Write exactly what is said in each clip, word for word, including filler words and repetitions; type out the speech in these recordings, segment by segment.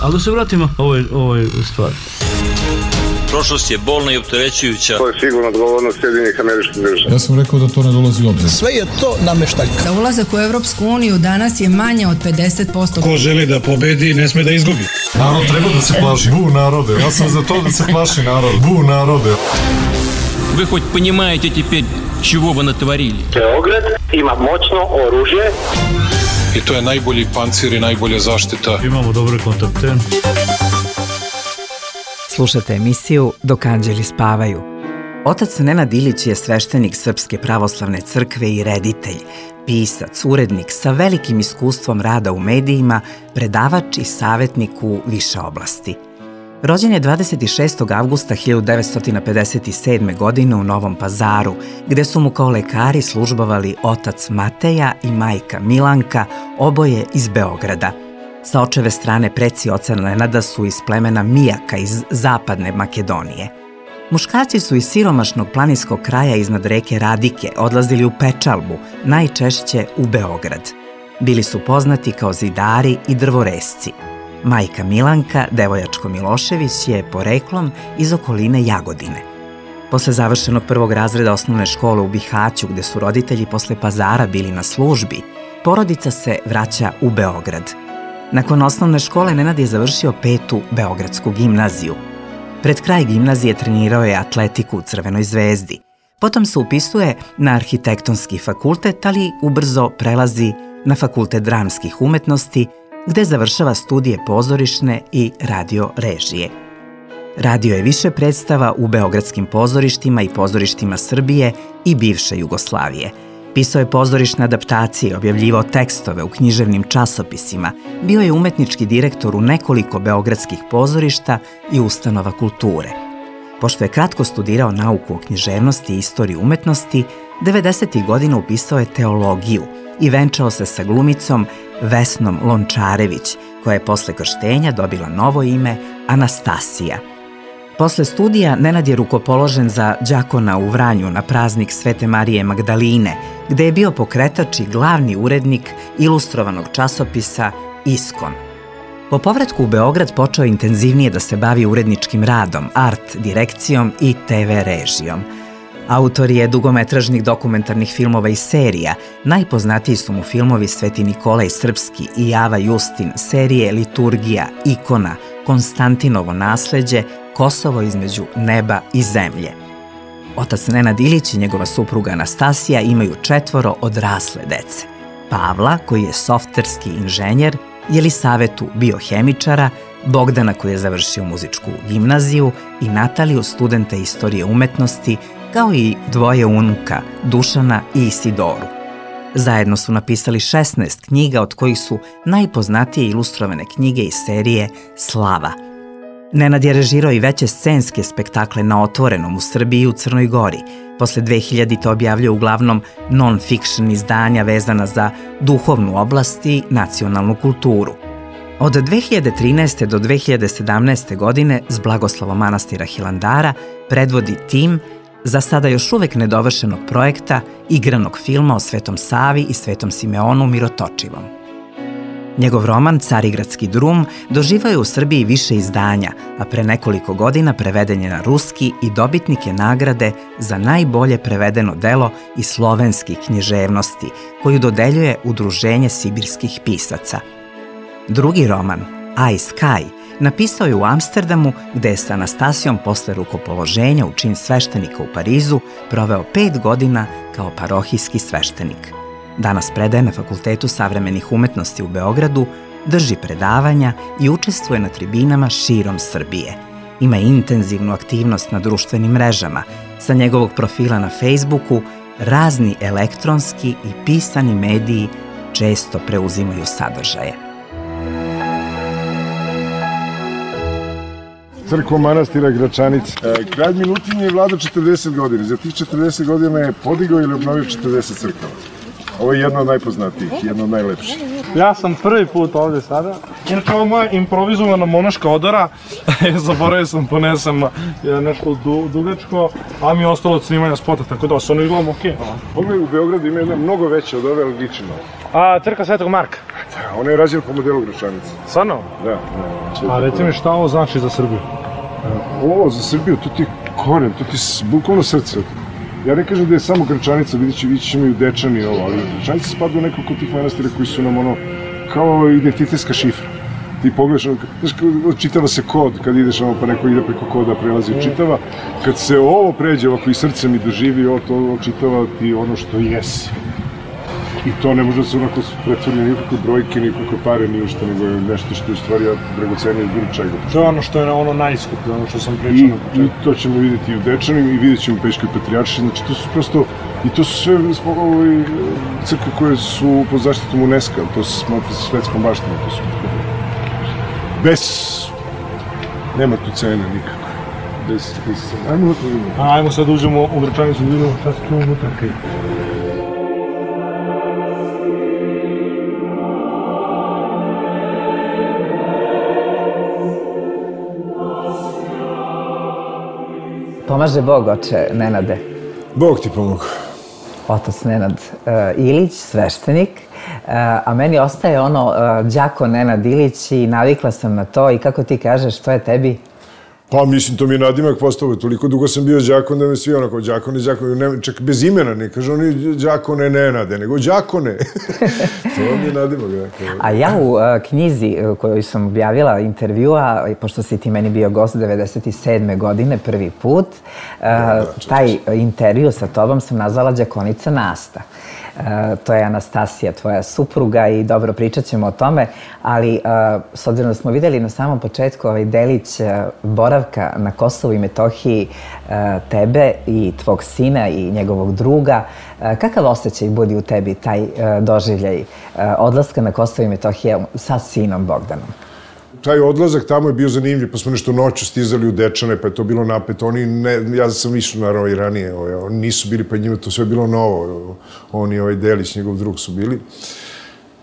Ali da se vratimo ovoj, ovoj stvari. Prošlost je bolna i opterećujuća. To je sigurno odgovornost Sjedinjenih Američkih Država. Ja sam rekao da to ne dolazi u obzir. Sve je to nameštaljka. Da ulazak u Evropsku uniju danas je manje od pedeset posto. Ko želi da pobedi, ne sme da izgubi. Narod treba da se plaši. Bu narode. Ja sam za to da se plaši narod. Bu narode. Вы хоть понимаете теперь, чего вы натворили? Beograd ima moćno oružje. I to je najbolji pancir i najbolja zaštita. Imamo dobre kontakte. Slušate emisiju Dok anđeli spavaju. Otac Nenad Ilić je sveštenik Srpske pravoslavne crkve i reditelj, pisac, urednik sa velikim iskustvom rada u medijima, predavač i savjetnik u više oblasti. Rođen je dvadeset šestog avgusta hiljadu devetsto pedeset sedme. godine u Novom Pazaru, gde su mu kao lekari službovali otac Mateja i majka Milanka, oboje iz Beograda. Sa očeve strane preci oca Nenada su iz plemena Mijaka iz zapadne Makedonije. Muškarci su iz siromašnog planinskog kraja iznad reke Radike odlazili u pečalbu, najčešće u Beograd. Bili su poznati kao zidari i drvoresci. Majka Milanka, devojačko Milošević, je poreklom iz okoline Jagodine. Posle završenog prvog razreda osnovne škole u Bihaću, gde su roditelji posle Pazara bili na službi, porodica se vraća u Beograd. Nakon osnovne škole Nenad je završio petu Beogradsku gimnaziju. Pred kraj gimnazije trenirao je atletiku u Crvenoj zvezdi. Potom se upisuje na arhitektonski fakultet, ali ubrzo prelazi na fakultet dramskih umetnosti, gde završava studije pozorišne i radio režije. Radio je više predstava u beogradskim pozorištima i pozorištima Srbije i bivše Jugoslavije. Pisao je pozorišne adaptacije, objavljivao tekstove u književnim časopisima, bio je umetnički direktor u nekoliko beogradskih pozorišta i ustanova kulture. Pošto je kratko studirao nauku o književnosti i istoriji umetnosti, devedesetih godina upisao je teologiju i venčao se sa glumicom Vesnom Lončarević, koja je posle krštenja dobila novo ime Anastasija. Posle studija Nenad je rukopoložen za đakona u Vranju na praznik Svete Marije Magdaline, gde je bio pokretač i glavni urednik ilustrovanog časopisa Iskon. Po povratku u Beograd počeo intenzivnije da se bavi uredničkim radom, art direkcijom i te ve režijom. Autor je dugometražnih dokumentarnih filmova i serija. Najpoznatiji su mu filmovi Sveti Nikolaj Srpski i Java Justin, serije Liturgija, Ikona, Konstantinovo nasleđe, Kosovo između neba i zemlje. Otac Nenad Ilić i njegova supruga Anastasija imaju četvoro odrasle dece. Pavla, koji je softverski inženjer, Jelisavetu biohemičara, Bogdana koji je završio muzičku gimnaziju i Nataliju, studenta istorije umetnosti, kao i dvoje unuka, Dušana i Isidoru. Zajedno su napisali šesnaest knjiga, od kojih su najpoznatije ilustrovane knjige iz serije Slava. Nenad je režirao i veće scenske spektakle na otvorenom u Srbiji i u Crnoj Gori. Posle dve hiljadite objavljuje uglavnom non-fiction izdanja vezana za duhovnu oblast i nacionalnu kulturu. Od dve hiljade trinaeste. do dve hiljade sedamnaeste. godine s blagoslovom manastira Hilandara predvodi tim za sada još uvek nedovršenog projekta igranog filma o Svetom Savi i Svetom Simeonu Mirotočivom. Njegov roman Carigradski drum doživao je u Srbiji više izdanja, a pre nekoliko godina preveden je na ruski i dobitnik je nagrade za najbolje prevedeno delo iz slovenskih književnosti, koju dodeljuje Udruženje sibirskih pisaca. Drugi roman, I Sky, napisao je u Amsterdamu, gde je sa Anastasijom posle rukopoloženja u čin sveštenika u Parizu proveo pet godina kao parohijski sveštenik. Danas predaje na Fakultetu savremenih umetnosti u Beogradu, drži predavanja i učestvuje na tribinama širom Srbije. Ima intenzivnu aktivnost na društvenim mrežama. Sa njegovog profila na Facebooku razni elektronski i pisani mediji često preuzimaju sadržaje. Crkva manastira Gračanica. Kralj Milutin je vladao četrdeset godina. Za tih četrdeset godina je podigao ili obnovio četrdeset crkava. Ovo je jedna od najpoznatijih, jedna od najlepših. Ja sam prvi put ovde sada. Inače, ovo je moja improvizovana monaška odora. Zaboravio sam, ponesem nešto dugačko, a mi je ostalo od snimanja spota, tako da se ono izgledamo okej. Ovo je u Beogradu ima jedna mnogo veća od ove, ali liči malo. A, crkva Svetog Marka. Ona je rađena po modelu Gračanice. Stvarno? Da. A reci mi šta ovo znači za Srbiju? Ovo za Srbiju, to ti je koren, to ti je bukvalno srce. Ja ne kažem da je samo Gračanica, vidjet ću, vidjet ćemo i u Dečani i ovo, ali Gračanica spada u nekoliko tih manastira koji su nam ono, kao identitetska šifra. Ti pogledaš, znaš, čitava se kod, kad ideš ono pa neko ide preko koda, prelazi i čitava. Kad se ovo pređe ovako i srcem i doživi, ovo to čitava ti ono što jesi. I to ne može da se onako pretvori nikakve brojke, nikakve pare, ni ušte, nego je nešto što je u stvari dragocenije od bilo čega. To je ono što je ono najskuplje, ono što sam pričao I, na početku. I to ćemo vidjeti i u Dečanima i vidjet ćemo u Pećkoj Patrijaršiji, znači to su prosto, i to su sve ovaj, crkve koje su pod zaštitom UNESCO, to se smatra svetskom baštinom, to su bez, nema tu cene nikako, bez, bez cene. Ajmo unutra vidimo. Ajmo sad uđemo u Gračanicu, vidimo šta se tu unutra krije. Pomaže Bog, oče Nenade. Bog ti pomogu. Otac Nenad uh, Ilić, sveštenik, uh, a meni ostaje ono uh, đako Nenad Ilić i navikla sam na to i kako ti kažeš, što je tebi? Pa mislim, to mi je nadimak postao, toliko dugo sam bio đakon da me svi onako, đakone, đakone, čak bez imena, ne kažu oni đakone Nenade, nego đakone. To mi je nadimak. A ja u uh, knjizi koju sam objavila intervjua, pošto si ti meni bio gost devedeset sedme godine prvi put, uh, da, da, taj intervju sa tobom sam nazvala đakonica Nasta. Uh, to je Anastasija, tvoja supruga i dobro pričat ćemo o tome, ali uh, s obzirom da smo videli na samom početku ovaj delić uh, boravka na Kosovu i Metohiji uh, tebe i tvog sina i njegovog druga, uh, kakav osjećaj budi u tebi taj uh, doživljaj uh, odlaska na Kosovo i Metohiju sa sinom Bogdanom? Taj odlazak tamo je bio zanimljiv, pa smo nešto noću stizali u Dečane, pa je to bilo napeto. Oni, ne, ja sam išao naravno i ranije, ovaj, oni nisu bili, pa njima to sve bilo novo. Oni, ovaj Delić, njegov drug su bili.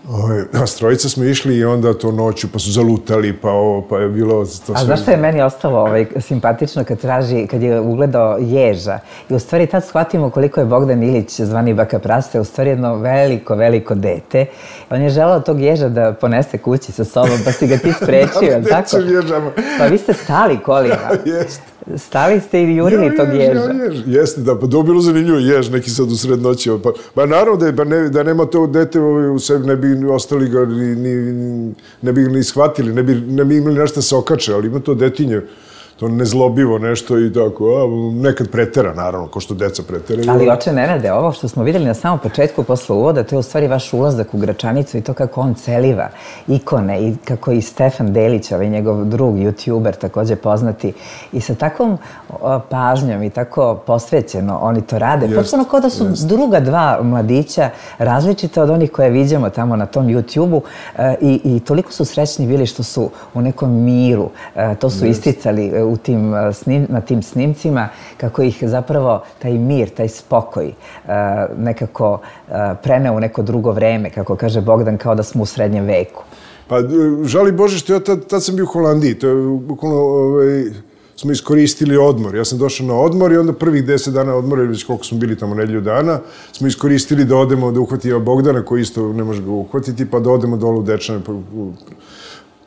Ovaj, a s trojica smo išli i onda to noću, pa su zalutali, pa ovo, pa je bilo... To sve... A zašto je meni ostalo ovaj, simpatično kad traži, kad je ugledao ježa? I u stvari tad shvatimo koliko je Bogdan Ilić, zvani Baka Praste, u stvari jedno veliko, veliko dete. On je želao tog ježa da ponese kući sa sobom, pa si ga ti sprečio, da, tako? Ježama. Pa vi ste stali kolima. Jeste. Stali ste i jurili tog ježa. Jež, jeste, da, pa dobilo zanimljivo jež, neki sad u sred noći. Pa, pa naravno da, je, pa ne, da nema to dete u sebi, ne bi ostali ga, ni, ni, ne bi ga ni shvatili, ne bi, ne bi imali nešto se okače, ali ima to detinje, to nezlobivo nešto i tako, a, nekad pretera, naravno, ko što deca pretera. Ali oče Nenade, ovo što smo vidjeli na samom početku posle uvoda, to je u stvari vaš ulazak u Gračanicu i to kako on celiva ikone i kako i Stefan Delić, ovaj njegov drug, youtuber, takođe poznati, i sa takvom o, pažnjom i tako posvećeno oni to rade. Jest, potpuno kao da su jest. druga dva mladića različite od onih koje vidimo tamo na tom YouTubeu e, i, i toliko su srećni bili što su u nekom miru, e, to su jest. isticali u tim, snim, na tim snimcima, kako ih zapravo taj mir, taj spokoj uh, nekako uh, preneo u neko drugo vreme, kako kaže Bogdan, kao da smo u srednjem veku. Pa, žali Bože što ja tad, tad sam bio u Holandiji, to je bukvalno, ovaj, smo iskoristili odmor. Ja sam došao na odmor i onda prvih deset dana odmora, ili već koliko smo bili tamo nedelju dana, smo iskoristili da odemo, da uhvatimo Bogdana, koji isto ne može ga uhvatiti, pa da odemo dole u Dečane, pa, u,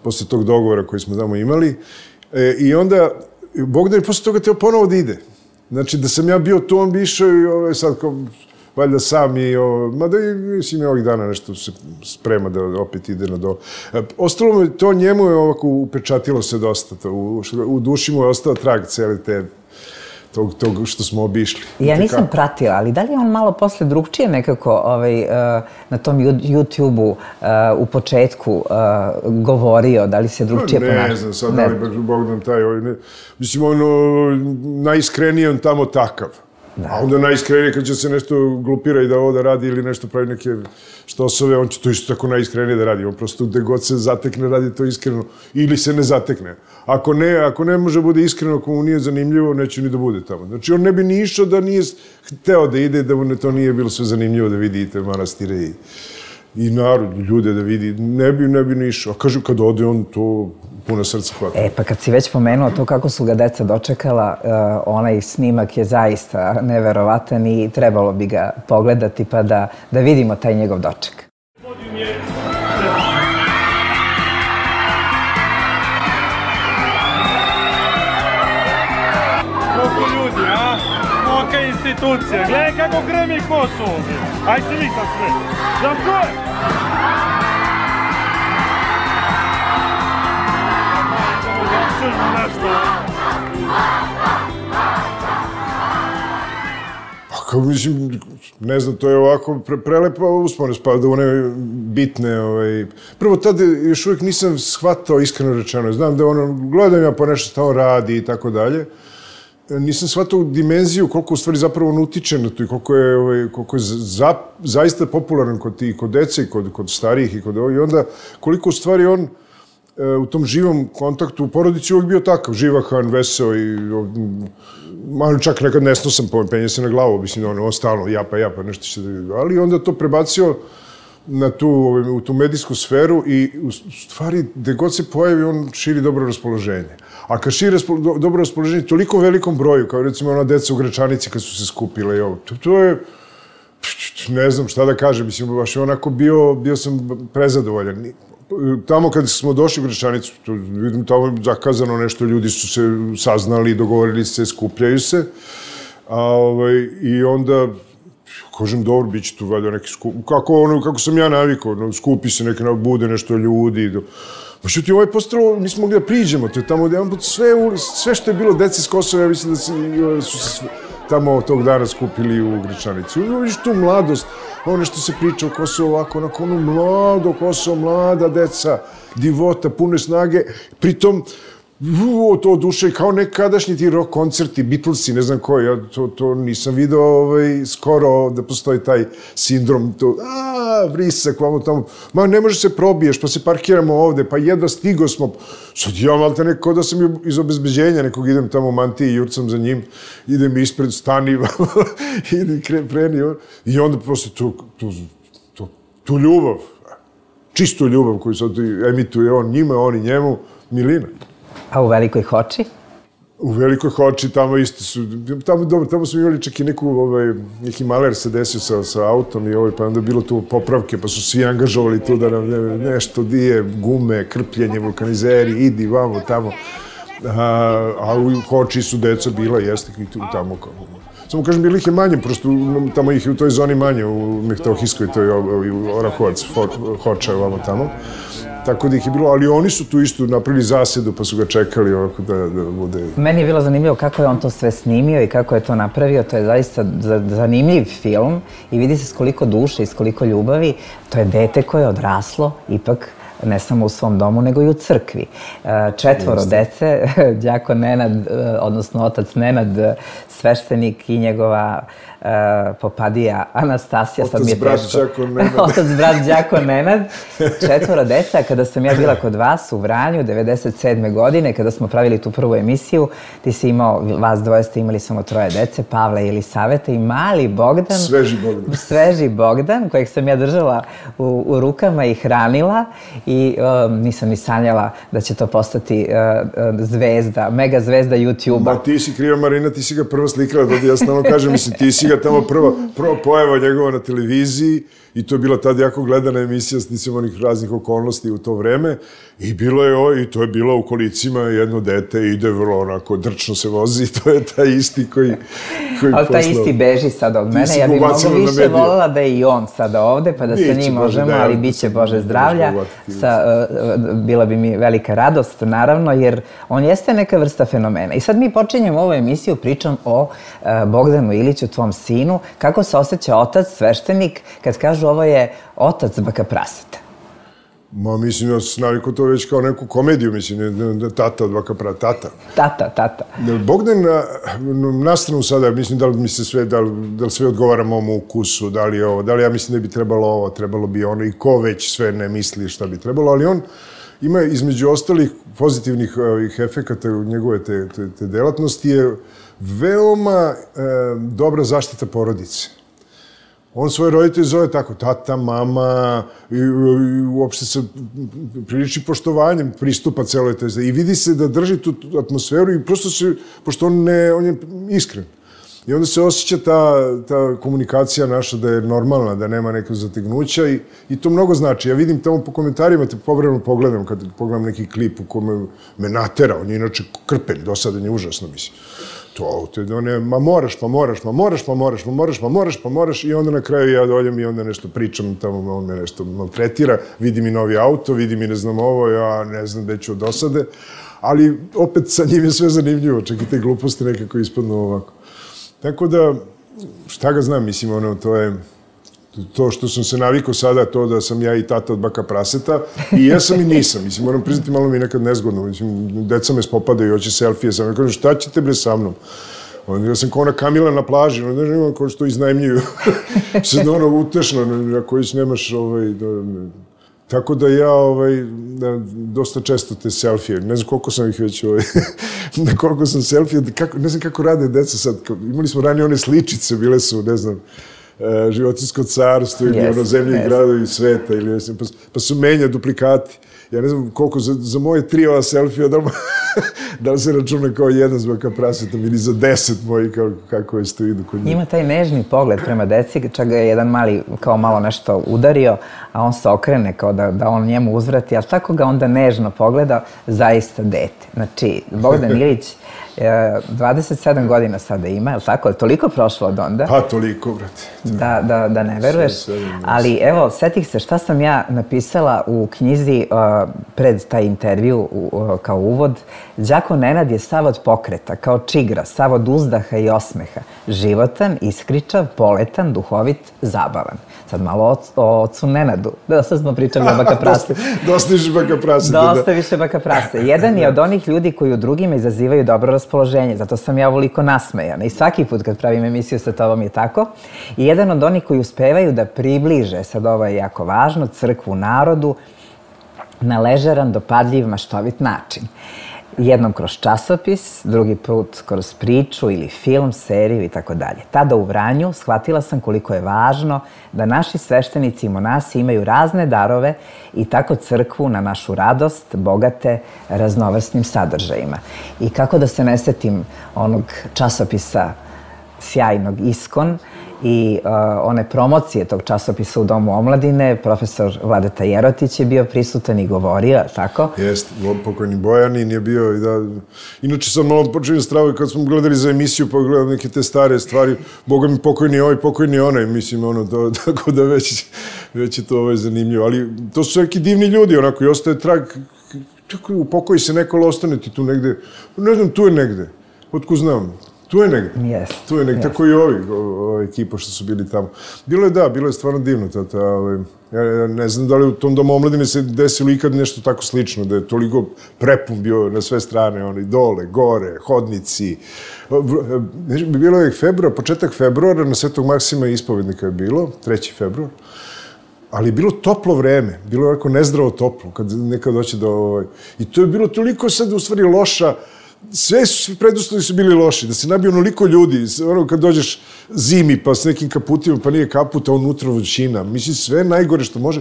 posle tog dogovora koji smo tamo imali. E, I onda, Bogdan je posle toga teo ponovo da ide. Znači, da sam ja bio tu, on bi išao i ovaj, sad kao, valjda sam i, ovaj, mada i mislim, ovih dana nešto se sprema da opet ide na dole. E, ostalo mi, to njemu je ovako upečatilo se dosta, to, u, u duši mu je ostao trag cele te, tog, tog što smo obišli. Ja nisam pratila, ali da li je on malo posle drugčije nekako ovaj, na tom YouTube-u u početku govorio, da li se drugčije ponašao? Ne znam, sad da li baš Bogdan taj, ovaj, ne, mislim, ono, najiskrenije on tamo takav. Da. A onda najiskrenije kad će se nešto glupira i da ovo da radi ili nešto pravi neke štosove, on će to isto tako najiskrenije da radi. On prosto gde god se zatekne radi to iskreno ili se ne zatekne. Ako ne, ako ne može bude iskreno, ako mu nije zanimljivo, neće ni da bude tamo. Znači on ne bi ni išao da nije hteo da ide, da mu ne, to nije bilo sve zanimljivo da vidi i te manastire i, i narod, ljude da vidi. Ne bi, ne bi ni išao. A kažu kad ode on to puno srca hvata. E, pa kad si već pomenuo to kako su ga deca dočekala, uh, onaj snimak je zaista neverovatan i trebalo bi ga pogledati pa da, da vidimo taj njegov doček. Podim je institucija, gledaj kako gremi Kosovo. Aj se vi sad sve. Znam ko je? Kao, mislim, ne znam, to je ovako pre, prelepa uspomena, spada u one bitne, ovaj... Prvo, tada još uvijek nisam shvatao, iskreno rečeno, znam da ono, gledam ja pa nešto stao radi i tako dalje, nisam shvatao dimenziju koliko u stvari zapravo on utiče na to i koliko je, ovaj, koliko je za, zaista popularan kod, i kod dece i kod, kod starijih i kod ovih, i onda koliko u stvari on u tom živom kontaktu u porodici uvijek bio takav, živahan, veseo i malo čak nekad nesnosan, penje se na glavu, mislim, on, on stalno japa, japa, nešto će da... Ali onda to prebacio na tu, u tu medijsku sferu i u stvari, gde god se pojavi, on širi dobro raspoloženje. A kad širi raspolo, dobro raspoloženje toliko velikom broju, kao recimo ona deca u Gračanici kad su se skupile i ovo, to, to je... Ne znam šta da kažem, mislim, baš je onako bio, bio sam prezadovoljan. Tamo kad smo došli u Gračanicu, vidim, tamo je zakazano nešto, ljudi su se saznali, dogovorili se, skupljaju se. A, ovaj, I onda, kažem, dobro, bit će tu valjda neki skup... Kako, ono, kako sam ja navikao, no, skupi se neke, bude nešto ljudi. Do... Pa što ti ovo je postalo, nismo mogli da priđemo, to je tamo jedan put sve, sve što je bilo dece s Kosova, ja mislim da se, su se sve, tamo tog dana skupili u Gračanici. Vidiš tu mladost, ono što se priča o Kosovo ovako, onako ono mlado Kosovo, mlada deca, divota, pune snage, pritom u, to duše kao nekadašnji ti rock koncerti, Beatlesi, ne znam koji, ja to, to nisam video ovaj, skoro da postoji taj sindrom, to, a, vrisak, vamo tamo, ma ne može se probiješ, pa se parkiramo ovde, pa jedva stigo smo, sad ja malte neko da sam iz obezbeđenja nekog idem tamo u mantiji i jurcam za njim, idem ispred, stani, idem preni, i onda posle tu, tu, tu, tu ljubav, čistu ljubav koju sad emituje on njima, on i njemu, milina. A u Velikoj Hoči? U Velikoj Hoči, tamo isto su, tamo, dobro, tamo smo imali čak i neku, ovaj, neki maler se desio sa, sa autom i ovaj, pa onda bilo tu popravke, pa su svi angažovali tu da nam ne, nešto dije, gume, krpljenje, vulkanizeri, idi vamo, tamo. A, a u Hoči su deca bila, jeste i tu tamo. Kao, samo kažem, bilo ih je manje, prosto tamo ih je u toj zoni manje, u Mehtohijskoj, to je u Orahovac, Hoča, vamo tamo. Tako da ih je bilo, ali oni su tu isto napravili zasedu pa su ga čekali ovako da, da bude... Meni je bilo zanimljivo kako je on to sve snimio i kako je to napravio. To je zaista zanimljiv film i vidi se s koliko duše i s koliko ljubavi. To je dete koje je odraslo ipak ne samo u svom domu, nego i u crkvi. Četvoro dece, đakon Nenad, odnosno otac Nenad, sveštenik i njegova popadija Anastasija. Otac brat đakon Nenad. Otac brat đakon Nenad. Četvoro deca. Kada sam ja bila kod vas u Vranju, devedeset sedme godine, kada smo pravili tu prvu emisiju, ti si imao, vas dvoje ste imali samo troje dece, Pavla i Elisaveta i mali Bogdan. Sveži Bogdan. Sveži Bogdan, kojeg sam ja držala u, u rukama i hranila i um, nisam ni sanjala da će to postati uh, zvezda, mega zvezda YouTube-a. Ma ti si kriva, Marina, ti si ga prvo slikala, da ja stalno kažem, mislim, ti si ga tamo prvo, prvo pojava njegova na televiziji i to je bila tada jako gledana emisija s nisam onih raznih okolnosti u to vreme i bilo je o, i to je bilo u kolicima jedno dete ide vrlo onako drčno se vozi i to je taj isti koji, koji ali taj isti beži sad od mene, ja bih mnogo više voljela da je i on sada ovde pa da sa njim možemo, ali bit će Bože zdravlja, sa, uh, bila bi mi velika radost naravno jer on jeste neka vrsta fenomena i sad mi počinjemo ovu emisiju pričom o uh, Bogdanu Iliću, tvom sinu, kako se osjeća otac, sveštenik, kad kažu ovo je otac baka praseta. Ma, mislim, ja sam navikao to već kao neku komediju, mislim, tata od baka praseta, tata. Tata, tata. Bogdan, na stranu sada, mislim, da li mi se sve, da li, da li sve odgovara mom ukusu, da li je ovo, da li ja mislim da bi trebalo ovo, trebalo bi ono, i ko već sve ne misli šta bi trebalo, ali on ima između ostalih pozitivnih ovih efekata u njegove te, te, te delatnosti je veoma e, dobra zaštita porodice. On svoje roditelje zove tako, tata, mama, i, i uopšte sa priličnim poštovanjem pristupa celoj toj. I vidi se da drži tu atmosferu i prosto se, pošto on, ne, on je iskren. I onda se osjeća ta, ta komunikacija naša da je normalna, da nema nekog zategnuća i, i to mnogo znači. Ja vidim tamo po komentarima, te povremeno pogledam, kad pogledam neki klip u kome me natera, on je inače krpelj, dosadan je užasno, mislim. To, to one, ma moraš, pa moraš, ma moraš, pa moraš, ma moraš, pa moraš, pa moraš i onda na kraju ja dođem i onda nešto pričam tamo, on me nešto maltretira, vidi mi novi auto, vidi mi ne znam ovo, ja ne znam gde ću od dosade, ali opet sa njim je sve zanimljivo, čak i te gluposti nekako ispadnu ovako. Tako da, šta ga znam, mislim, ono, to je to što sam se navikao sada, to da sam ja i tata od baka praseta, i jesam i nisam, mislim, moram priznati, malo mi je nekad nezgodno, mislim, deca me spopadaju i hoće selfije, sam ja kažem, šta ćete bre sa mnom? Onda ja sam kao ona Kamila na plaži, onda ne imam kao što iznajmljuju, sad ono utešno, ako već nemaš ovaj... Tako da ja ovaj, dosta često te selfije, ne znam koliko sam ih već, ovaj, koliko sam selfije, kako, ne znam kako rade deca sad, imali smo ranije one sličice, bile su, ne znam, Životinjsko carstvo ili ono zemlje i gradovi sveta, ili, pa, pa su menja duplikati. Ja ne znam koliko, za, za moje tri ova selfija, da, da li se računa kao jedan s baka prasetom ili za deset moji, kako, kako je to idu kod njih. Ima taj nežni pogled prema deci, čak ga je jedan mali kao malo nešto udario, a on se okrene kao da, da on njemu uzvrati, ali tako ga onda nežno pogleda, zaista dete. Znači, Bogdan Ilić, dvadeset sedam godina sada ima, je li tako? Je toliko prošlo od onda? Pa, toliko, brate. Da, da, da ne veruješ. Ali evo, setih se šta sam ja napisala u knjizi uh, pred taj intervju uh, kao uvod. Đako Nenad je sav od pokreta, kao čigra, sav od uzdaha i osmeha. Životan, iskričav, poletan, duhovit, zabavan. Sad malo o, o ocu Nenadu. Da, sad smo pričali o baka prase. Dosta više baka prase. Dosta više baka prase. Jedan je od onih ljudi koji u drugima izazivaju dobro raspoloženje. Zato sam ja ovoliko nasmejana. I svaki put kad pravim emisiju sa tobom je tako. I jedan od onih koji uspevaju da približe, sad ovo je jako važno, crkvu narodu na ležeran, dopadljiv, maštovit način. Jednom kroz časopis, drugi put kroz priču ili film, seriju i tako dalje. Tada u Vranju shvatila sam koliko je važno da naši sveštenici i monasi imaju razne darove i tako crkvu na našu radost bogate raznovrsnim sadržajima. I kako da se ne setim onog časopisa sjajnog Iskon i uh, one promocije tog časopisa u Domu omladine, profesor Vladeta Jerotić je bio prisutan i govorio, tako? Jeste, pokojni Bojanin je bio i da... Inače sam malo počeo stravo kad smo gledali za emisiju, pa gledam neke te stare stvari, boga mi pokojni ovaj, pokojni onaj, mislim, ono, to, tako da već, već je to ovaj zanimljivo. Ali to su neki divni ljudi, onako, i ostaje trag, čekaj, u pokoji se neko, ali ostane ti tu negde, ne znam, tu je negde, otko znam. Tu je negde. Yes, tu je negde. Yes. Tako i ovi, ova ekipa što su bili tamo. Bilo je, da, bilo je stvarno divno. Ta, ta, ovaj, ja, ja ne znam da li u tom Domu omladine se desilo ikad nešto tako slično, da je toliko prepun bio na sve strane, oni dole, gore, hodnici. Bilo je februar, početak februara, na Svetog Maksima ispovednika je bilo, treći februar. Ali je bilo toplo vreme, bilo je ovako nezdravo toplo, kad nekad doće do... Ovaj, i to je bilo toliko sad u stvari loša. Sve su, preduslovi su bili loši, da se nabije onoliko ljudi, ono kad dođeš zimi pa s nekim kaputima, pa nije kaput, a unutra vrućina, mislim sve najgore što može.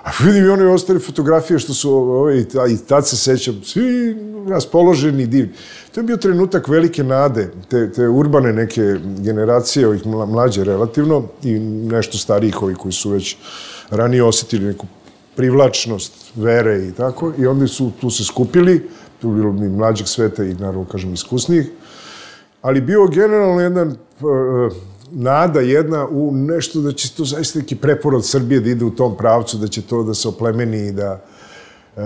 A vidim i one ostale fotografije što su, ove, i tad se sećam, svi raspoloženi, divni. To je bio trenutak velike nade, te, te urbane neke generacije, ovih mlađe relativno, i nešto starijih ovih koji su već ranije osjetili neku privlačnost, vere i tako, i onda su tu se skupili, tu bilo mi mlađeg sveta i, naravno, kažem, iskusnijih, ali bio generalno jedna uh, nada jedna u nešto da će to zaista neki preporod Srbije da ide u tom pravcu, da će to da se oplemeni i da... Uh,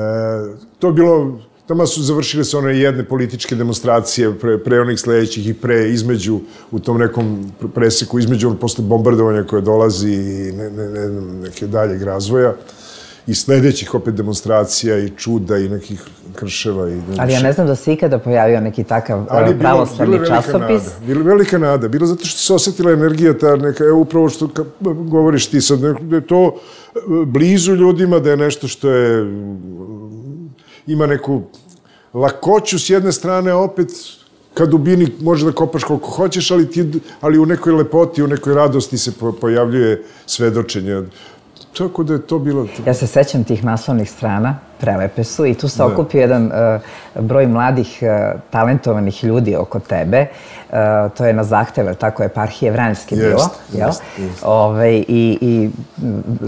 to je bilo... Tamo su završile se one jedne političke demonstracije pre, pre onih sledećih i pre, između, u tom nekom preseku, između posle bombardovanja koje dolazi i ne, ne, ne, neke daljeg razvoja. I sledećih opet demonstracija i čuda i nekih krševa. I ali ja ne znam da se ikada pojavio neki takav pravoslavni časopis. Bilo je velika nada. Bilo zato što se osjetila energija ta neka, evo upravo što govoriš ti sad, da je to blizu ljudima, da je nešto što je, ima neku lakoću s jedne strane, a opet ka dubini može da kopaš koliko hoćeš, ali, ti, ali u nekoj lepoti, u nekoj radosti se pojavljuje svedočenje. tako da je to bilo... Ja se sećam tih naslovnih strana, prelepe su, i tu se okupio jedan uh, broj mladih, uh, talentovanih ljudi oko tebe. Uh, to je na zahtev, tako je, eparhije Vranjske bilo, jest, jel? Jest, jest. Ove, i, I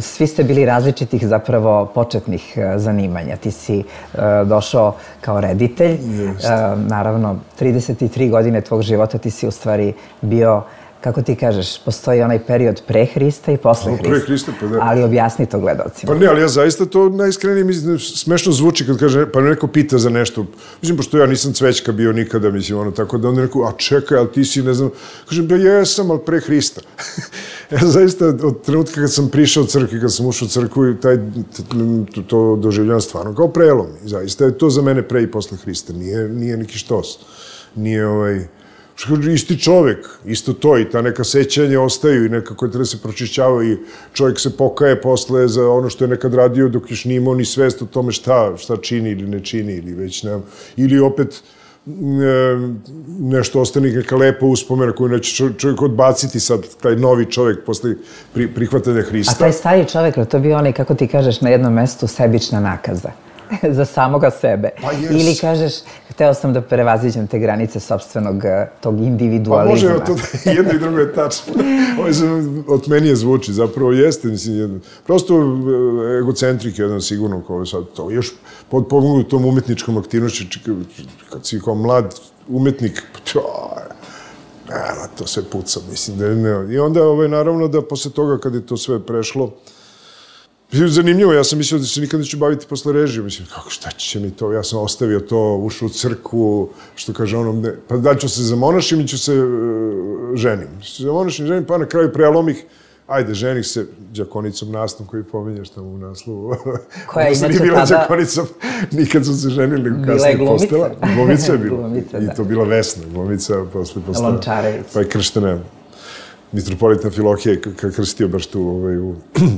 svi ste bili različitih zapravo početnih uh, zanimanja. Ti si uh, došao kao reditelj. Uh, naravno, trideset tri godine tvog života ti si u stvari bio, kako ti kažeš, postoji onaj period pre Hrista i posle Hrista. Pre Hrista, pa da. Ali objasni to gledalcima. Pa ne, ali ja zaista to najiskrenije mislim, smešno zvuči kad kaže, pa neko pita za nešto. Mislim, pošto ja nisam cvećka bio nikada, mislim, ono, tako da onda neko, a čekaj, ali ti si, ne znam, kažem, ba jesam, ali pre Hrista. Ja zaista, od trenutka kad sam prišao u crkvi, kad sam ušao u crkvu, taj, to, to doživljavam stvarno kao prelom. Zaista je to za mene pre i posle Hrista. Nije, nije neki štos. Nije ovaj... Isti čovek, isto to i ta neka sećanja ostaju i nekako treba se pročišćavaju i čovjek se pokaje posle za ono što je nekad radio dok još nije imao ni svest o tome šta, šta čini ili ne čini ili već ne, ili opet ne, nešto ostane neka lepa uspomena koju neće čovjek odbaciti sad, taj novi čovjek posle pri, prihvatanja Hrista. A taj stari čovjek, to bi onaj, kako ti kažeš, na jednom mestu sebična nakaza za samoga sebe. Pa ili kažeš, hteo sam da prevaziđem te granice sopstvenog tog individualizma. Pa može, to jedno i drugo je tačno. Ovo se od menije zvuči, zapravo jeste, mislim, jedno. Prosto egocentrik je jedan sigurno, kao sad to, još podpomognu tom umetničkom aktivnošću, kad si kao mlad umetnik, to sve puca, mislim, da ne. I onda, ovaj, naravno, da posle toga, kad je to sve prešlo, zanimljivo, ja sam mislio da se nikad neću baviti posle režije. Mislim, kako, šta će mi to? Ja sam ostavio to, ušao u crkvu, što kaže ono, ne, pa da ću se zamonašim i ću se uh, ženim. Se zamonašim, ženim, pa na kraju prelomih, ajde, ženih se đakonicom Nastom koji pominjaš tamo u naslovu. Koja je inače tada... bila tada... đakonicom, nikad su se ženili, kasnije postala. Glumica je bila. Glumica, i to bila Vesna, glumica, posle postala. Lončarević. Pa je krštena mitropolita Filohije, kad krstio baš tu ovaj, u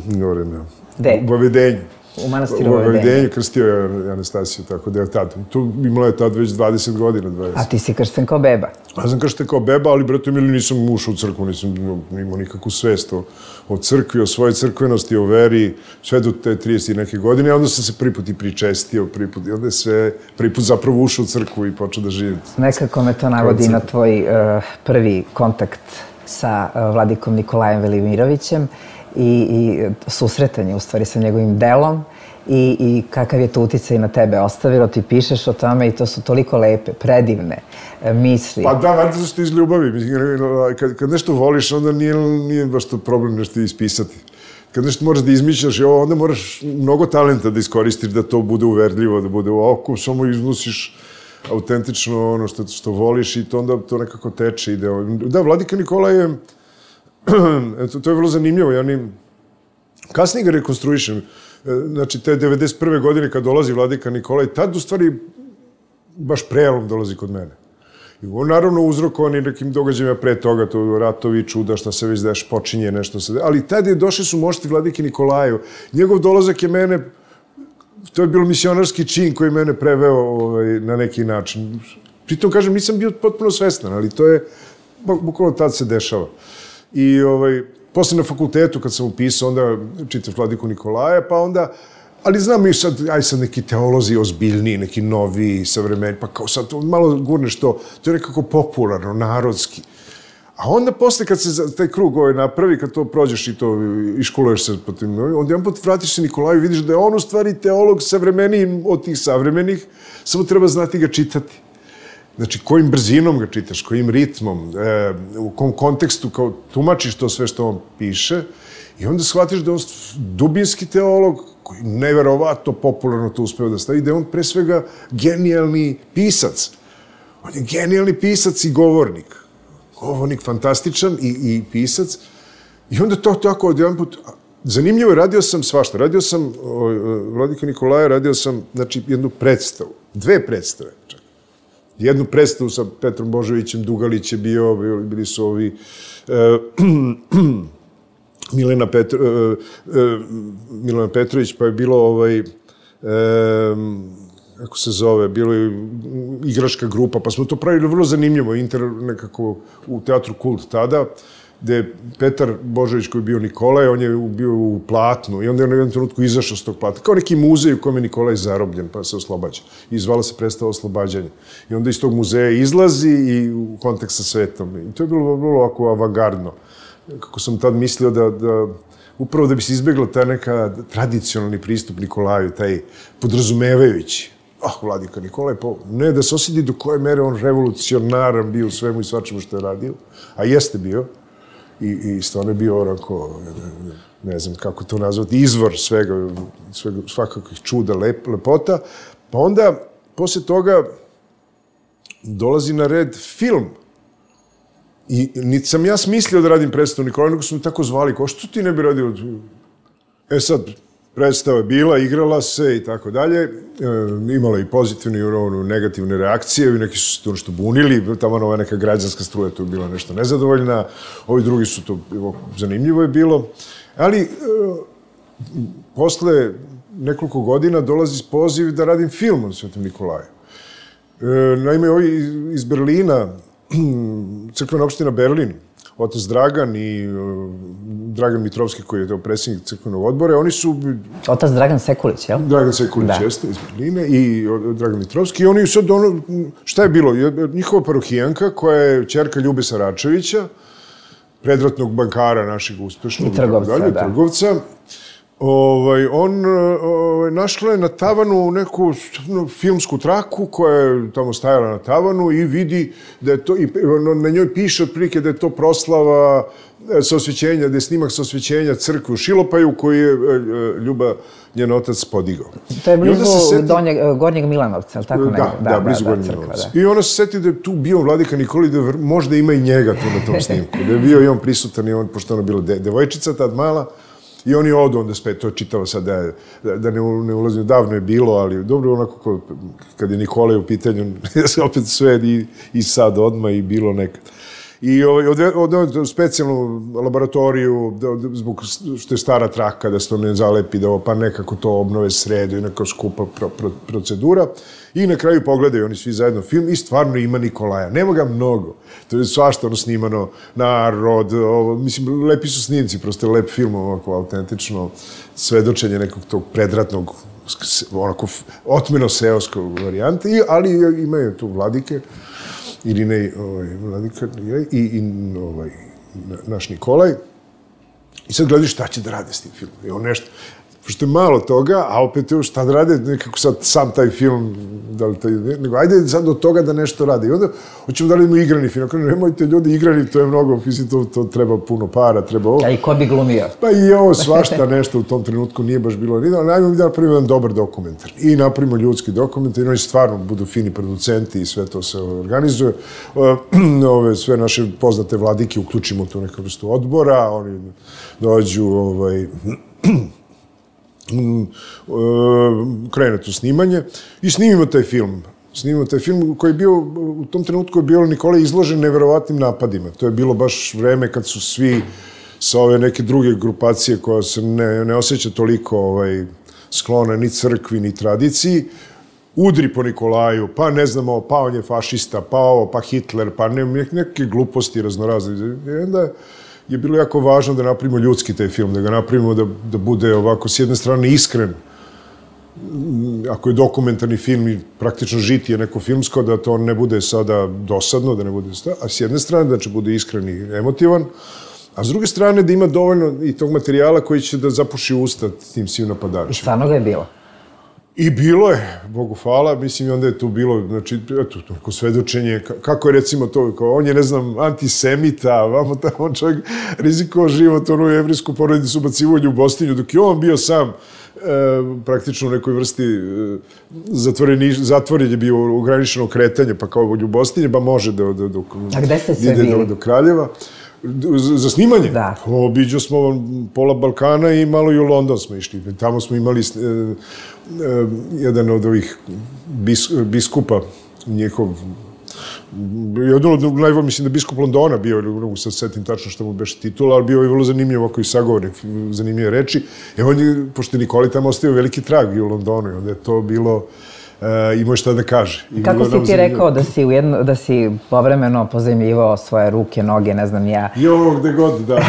gore na... Gde? U Vavedenju. U manastiru u Vavedenju. U Vavedenju krstio je Anastasiju, tako da je tad. Tu imala je tad već dvadeset godina. dvadeset. A ti si kršten kao beba? Ja sam kršten kao beba, ali, brate, mili, nisam ušao u crkvu, nisam imao nikakvu svest o, o crkvi, o svojoj crkvenosti, o veri, sve do te trideset neke godine, a onda sam se prvi put i pričestio, prvi put, i onda je sve, prvi put zapravo ušao u crkvu i počeo da živim. Nekako me to navodi na tvoj uh, prvi kontakt sa uh, vladikom Nikolajem Velimirovićem, i, i susretanje u stvari sa njegovim delom i, i kakav je to uticaj na tebe ostavilo, ti pišeš o tome i to su toliko lepe, predivne e, misli. Pa da, valjda su ti iz ljubavi. Kad, kad nešto voliš, onda nije, nije baš to problem nešto ispisati. Kad nešto moraš da izmišljaš, onda moraš mnogo talenta da iskoristiš da to bude uverljivo, da bude u oku, samo iznosiš autentično ono što, što voliš i to onda to nekako teče. Ide. Da, Vladika Nikola je... Eto, to je vrlo zanimljivo. Ja ni... Kasnije ga rekonstruišem. Znači, te devedeset prve godine kad dolazi Vladika Nikola i tad u stvari baš prelom dolazi kod mene. I on naravno uzrokovan i nekim događajima pre toga, to ratovi, čuda, šta se već deš, počinje nešto se... Ali tad je došli su mošti Vladike Nikolaju. Njegov dolazak je mene... To je bilo misionarski čin koji mene preveo ovaj, na neki način. Pritom, kažem, nisam bio potpuno svestan, ali to je... Bukvalno tad se dešava. I ovaj, posle na fakultetu, kad sam upisao, onda čitaš Vladiku Nikolaja, pa onda... Ali znam i sad, aj sad neki teolozi ozbiljniji, neki novi, savremeni, pa kao sad malo gurneš to, to je nekako popularno, narodski. A onda posle kad se taj krug ovaj napravi, kad to prođeš i to iškoluješ se po tim, onda jedan put vratiš se Nikolaju i vidiš da je on u stvari teolog savremeniji od tih savremenih, samo treba znati ga čitati. Znači, kojim brzinom ga čitaš, kojim ritmom, e, u kom kontekstu, kao tumačiš to sve što on piše i onda shvatiš da je on dubinski teolog koji neverovatno popularno to uspeo da stavi, da je on pre svega genijalni pisac. On je genijalni pisac i govornik. Govornik fantastičan i, i pisac. I onda to tako od jedan put... Zanimljivo je, radio sam svašta. Radio sam, o, Vladika Nikolaja, radio sam, znači, jednu predstavu. Dve predstave. Jednu predstavu sa Petrom Božovićem, Dugalić je bio, bili su ovi e, Milena, Petro, e, e, Milena Petrović, pa je bilo ovaj, e, kako se zove, bilo je igračka grupa, pa smo to pravili vrlo zanimljivo, inter nekako u teatru Kult tada, gde je Petar Božović koji je bio Nikolaj, on je bio u platnu i onda je na jednom trenutku izašao s tog platna. Kao neki muzej u kojem je Nikolaj zarobljen pa se oslobađa. I zvala se predstava Oslobađanje. I onda iz tog muzeja izlazi i u kontakt sa svetom. I to je bilo vrlo ovako avangardno. Kako sam tad mislio da, da upravo da bi se izbjegla taj neka tradicionalni pristup Nikolaju, taj podrazumevajući. Ah, Vladika Nikolaj, pa ne da se osjeti do koje mere on revolucionaran bio u svemu i svačemu što je radio, a jeste bio. I, i stvarno je bio onako, ne znam kako to nazvati, izvor svega, svega svakakvih čuda, lep, lepota. Pa onda, poslije toga, dolazi na red film. I niti sam ja smislio da radim predstavu Nikolaj, nego su mi tako zvali, kao što ti ne bi radio? E sad, predstava je bila, igrala se i tako dalje. Imala i pozitivne i negativne reakcije, i neki su se to nešto bunili, tamo ova neka građanska struja tu je bila nešto nezadovoljna, ovi drugi su to, zanimljivo je bilo. Ali, posle nekoliko godina dolazi poziv da radim film o Svetom Nikolaju. Naime, ovi iz Berlina, crkvena opština Berlin, otac Dragan i Dragan Mitrovski, koji je predsjednik crkvenog odbora, oni su... Otac Dragan Sekulić, jel? Dragan Sekulić, jeste, iz Berlina, i Dragan Mitrovski. I oni sad, ono, šta je bilo? Njihova parohijanka, koja je ćerka Ljube Saračevića, predratnog bankara našeg uspešnog... I trgovca, da. Trgovca. Ovaj, on ovaj, našla je na tavanu neku filmsku traku koja je tamo stajala na tavanu i vidi da je to, i na njoj piše otprilike da je to proslava saosvećenja, da je snimak saosvećenja crkve u Šilopaju koji je Ljuba, njen otac, podigao. To je blizu seti... donjeg, Gornjeg Milanovca, ali tako da, nego? Da, da, blizu da, Gornjeg Milanovca. I ona se seti da je tu bio Vladika Nikolaj, da možda ima i njega tu na tom snimku. Da je bio i on prisutan i on, pošto ona bila de, devojčica tad mala, i oni odu onda spet, to je čitava sad, da, da ne, ne ulazim, davno je bilo, ali dobro onako kad je Nikolaj u pitanju, opet sve i, i sad odmah i bilo nekad. I od, od, od specijalnu laboratoriju, zbog što je stara traka, da se to ne zalepi, da pa nekako to obnove sredu i neka skupa pro, pro, procedura. I na kraju pogledaju oni svi zajedno film i stvarno ima Nikolaja. Nema ga mnogo. To je svašta ono snimano, narod, ovo, mislim, lepi su snimci, prosto je lep film, ovako autentično svedočenje nekog tog predratnog, onako otmeno seoskog varijante, ali imaju tu Vladike, Irinej, ovaj, Vladika i, i ovaj, naš Nikolaj. I sad gledaju šta će da rade s tim filmom. I on nešto, pošto je malo toga, a opet je šta da rade, nekako sad sam taj film, da li taj, nego ajde sad do toga da nešto rade. I onda hoćemo da radimo igrani film. Ako nemojte ljudi igrani, to je mnogo, mislim, to, to treba puno para, treba ovo. A i ko bi glumio? Pa i ovo svašta nešto u tom trenutku nije baš bilo. Ali najmo da napravimo jedan dobar dokumentar. I napravimo ljudski dokumentar, i oni stvarno budu fini producenti i sve to se organizuje. Ove, sve naše poznate vladike uključimo tu neku vrstu odbora, oni dođu, ovaj, krene to snimanje i snimimo taj film. Snimimo taj film koji je bio, u tom trenutku je bio Nikolaj izložen neverovatnim napadima. To je bilo baš vreme kad su svi sa ove neke druge grupacije koja se ne, ne osjeća toliko ovaj, sklona ni crkvi, ni tradiciji, udri po Nikolaju, pa ne znamo, pa on je fašista, pa ovo, pa Hitler, pa ne, neke gluposti raznorazne. I onda je bilo jako važno da napravimo ljudski taj film, da ga napravimo da, da bude ovako s jedne strane iskren. Ako je dokumentarni film i praktično žitije neko filmsko, da to ne bude sada dosadno, da ne bude sta, a s jedne strane da će bude iskren i emotivan, a s druge strane da ima dovoljno i tog materijala koji će da zapuši usta tim svim napadačima. I stvarno ga je bilo? I bilo je, Bogu hvala, mislim, onda je tu bilo, znači, eto, neko svedočenje, kako je recimo to, kao, on je, ne znam, antisemita, vamo tamo čovjek rizikovao život, onu jevrijsku porodicu ubacivo u Ljubostinju, dok je on bio sam e, praktično u nekoj vrsti e, zatvoren je bio u ograničeno kretanje, pa kao u Ljubostinje, pa može da, da, da, A gde ste sve ide do, do Kraljeva. Za snimanje? Da. Obiđo smo pola Balkana i malo i u London smo išli. Tamo smo imali e, e, jedan od ovih bis, biskupa, njihov, jedan od najbolj, mislim da biskup Londona bio, ne mogu sad setim tačno što mu beše titula, ali bio je vrlo zanimljiv ovako i sagovornik, zanimljive reči. E on je, pošto je Nikolaj tamo ostavio veliki trag i u Londonu, i onda je to bilo imao šta da kaže. I kako si ti rekao da si, ujedno, da si povremeno pozajmljivao svoje ruke, noge, ne znam ja? Jo, gde god, da.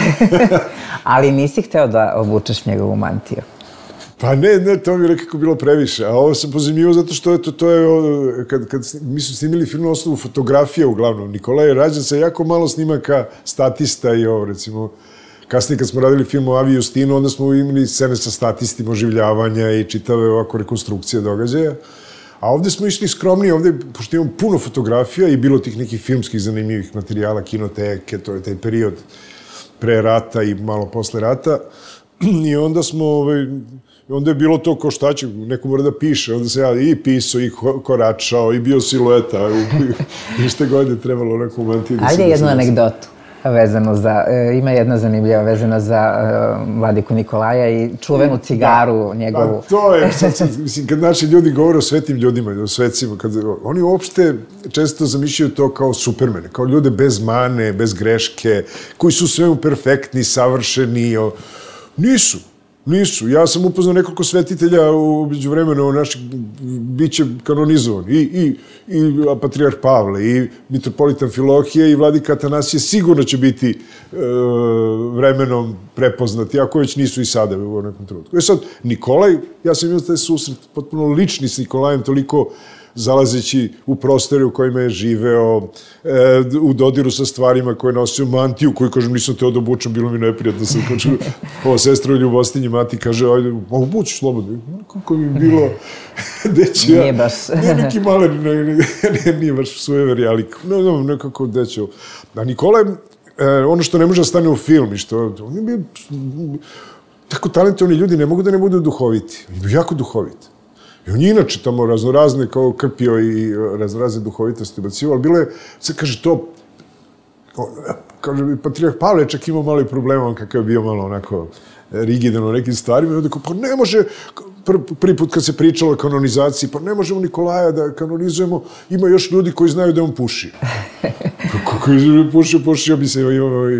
Ali nisi hteo da obučeš njegovu mantiju? Pa ne, ne, to mi je nekako bilo previše. A ovo sam pozajmljivao zato što eto, to je, kad, kad mi su snimili film na osnovu fotografije uglavnom. Nikola je rađen sa jako malo snimaka statista i ovo, recimo, kasnije kad smo radili film o Avi Justinu, onda smo imali scene sa statistima, oživljavanja i čitave ovako rekonstrukcije događaja. A ovde smo išli skromnije, ovde, pošto imamo puno fotografija i bilo tih nekih filmskih zanimljivih materijala, kinoteke, to je taj period pre rata i malo posle rata. I onda smo, ovaj, onda je bilo to ko šta će, neko mora da piše, onda se ja i pisao, i koračao, i bio silueta, i šta god je trebalo neku mantiju. Ajde jednu anegdotu vezano za, ima jedna zanimljiva vezana za Vladiku Nikolaja i čuvenu cigaru njegovu. Pa to je, sad, mislim, kad naši ljudi govore o svetim ljudima, o svecima, kad, oni uopšte često zamišljaju to kao supermene, kao ljude bez mane, bez greške, koji su svemu perfektni, savršeni. O... Nisu, nisu. Ja sam upoznao nekoliko svetitelja u međuvremenu naših biće kanonizovan. I, i, i patrijarh Pavle, i mitropolitan Filohije, i vladika Atanasije sigurno će biti e, vremenom prepoznati, ako već nisu i sada u nekom trenutku. E sad, Nikolaj, ja sam imao taj susret potpuno lični s Nikolajem, toliko zalazeći u prostore u kojima je živeo, e, u dodiru sa stvarima koje nosio, mantiju, koju, kažem, nisam teo da obučem, bilo mi neprijatno. Sam kažu, ova sestra u Ljubostinji, mati, kaže, ajde, obući slobodno. Kako mi bilo, deće ja. Nije baš. Nije neki malen, nije, nije baš sujever, ali ne, ne, nekako deće. A Nikolaj, e, ono što ne može da stane u film i što, on je bio, tako talentovani ljudi ne mogu da ne budu duhoviti. On je bio jako duhoviti. I on je inače tamo raznorazne kao krpio i raznorazne duhovitosti bacio, ali bilo je, sad kaže to, kaže, patrijarh Pavle čak imao malo i problema, on kakav je bio malo onako rigidan u nekim stvarima, i onda kao, pa ne može, pr, prvi put kad se pričalo o kanonizaciji, pa ne možemo Nikolaja da kanonizujemo, ima još ljudi koji znaju da on puši. Kako je pušio, pušio bi se, ovaj,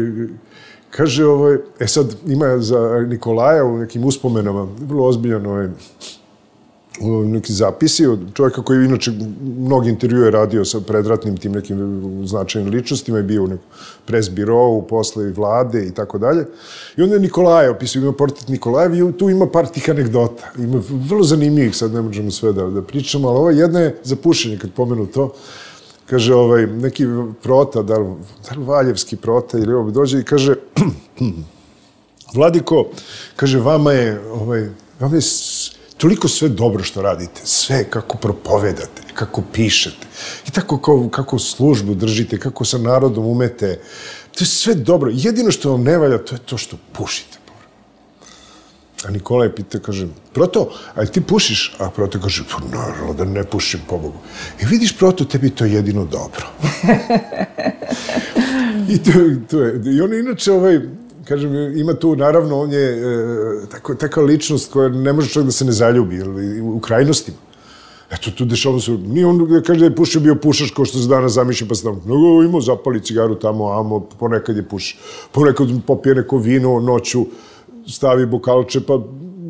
kaže, ovaj, e sad ima za Nikolaja u nekim uspomenama, vrlo ozbiljan ovaj, neki zapisi od čovjeka koji inače mnogi intervjue radio sa predratnim tim nekim značajnim ličnostima i bio u nekom presbirovu, posle vlade i tako dalje. I onda je Nikolaja opisao, ima portret Nikolajev i tu ima par tih anegdota. Ima vrlo zanimljivih, sad ne možemo sve da, da pričamo, ali ova jedna je za pušenje, kad pomenu to. Kaže, ovaj, neki prota, da li, da li Valjevski prota ili ovo dođe i kaže, Vladiko, kaže, vama je, ovaj, vama je toliko sve dobro što radite, sve kako propovedate, kako pišete i tako kako, kako službu držite, kako sa narodom umete. To je sve dobro. Jedino što vam ne valja, to je to što pušite. A Nikolaj pita, kaže, Proto, ali ti pušiš? A Proto kaže, pa naravno da ne pušim, pobogu. I vidiš, Proto, tebi to je jedino dobro. I to, to je. I on inače, ovaj, kažem, ima tu, naravno, on je e, tako, takva ličnost koja ne može čak da se ne zaljubi, ili, u krajnostima. Eto, tu dešava se, nije on kaže da je pušio bio pušač kao što se danas zamišlja, pa se tamo, no, imao zapali cigaru tamo, amo, ponekad je puši. Ponekad popije neko vino noću, stavi bokalče, pa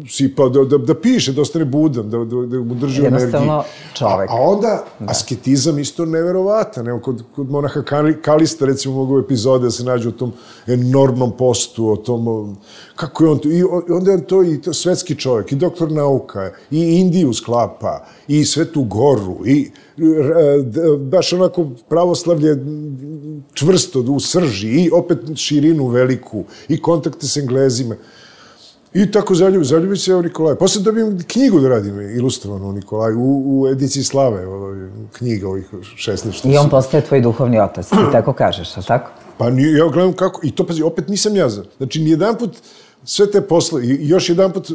sipa, da, da, da piše, da ostane budan, da, da, da mu drži energiju. Jednostavno čovek. A, a onda, da. Asketizam isto neverovatan. Evo, kod, kod monaha Kalista, recimo, mogu epizode da se nađu o tom enormnom postu, o tom, kako je on to, i onda je on to i to svetski čovjek, i doktor nauka, i Indiju sklapa, i Svetu Goru, i baš onako pravoslavlje čvrsto u srži, i opet širinu veliku, i kontakte s Englezima. I tako zaljubi, zaljubi se o Nikolaju. Posle dobijem knjigu da radim, ilustrovanu o Nikolaju, u, u ediciji Slave, ovaj, knjiga ovih šesnaest. I on postaje tvoj duhovni otac, ti tako kažeš, ali tako? Pa nije, ja gledam kako, i to, pazi, opet nisam ja za. Znači, nijedan put sve te posle, i još jedan put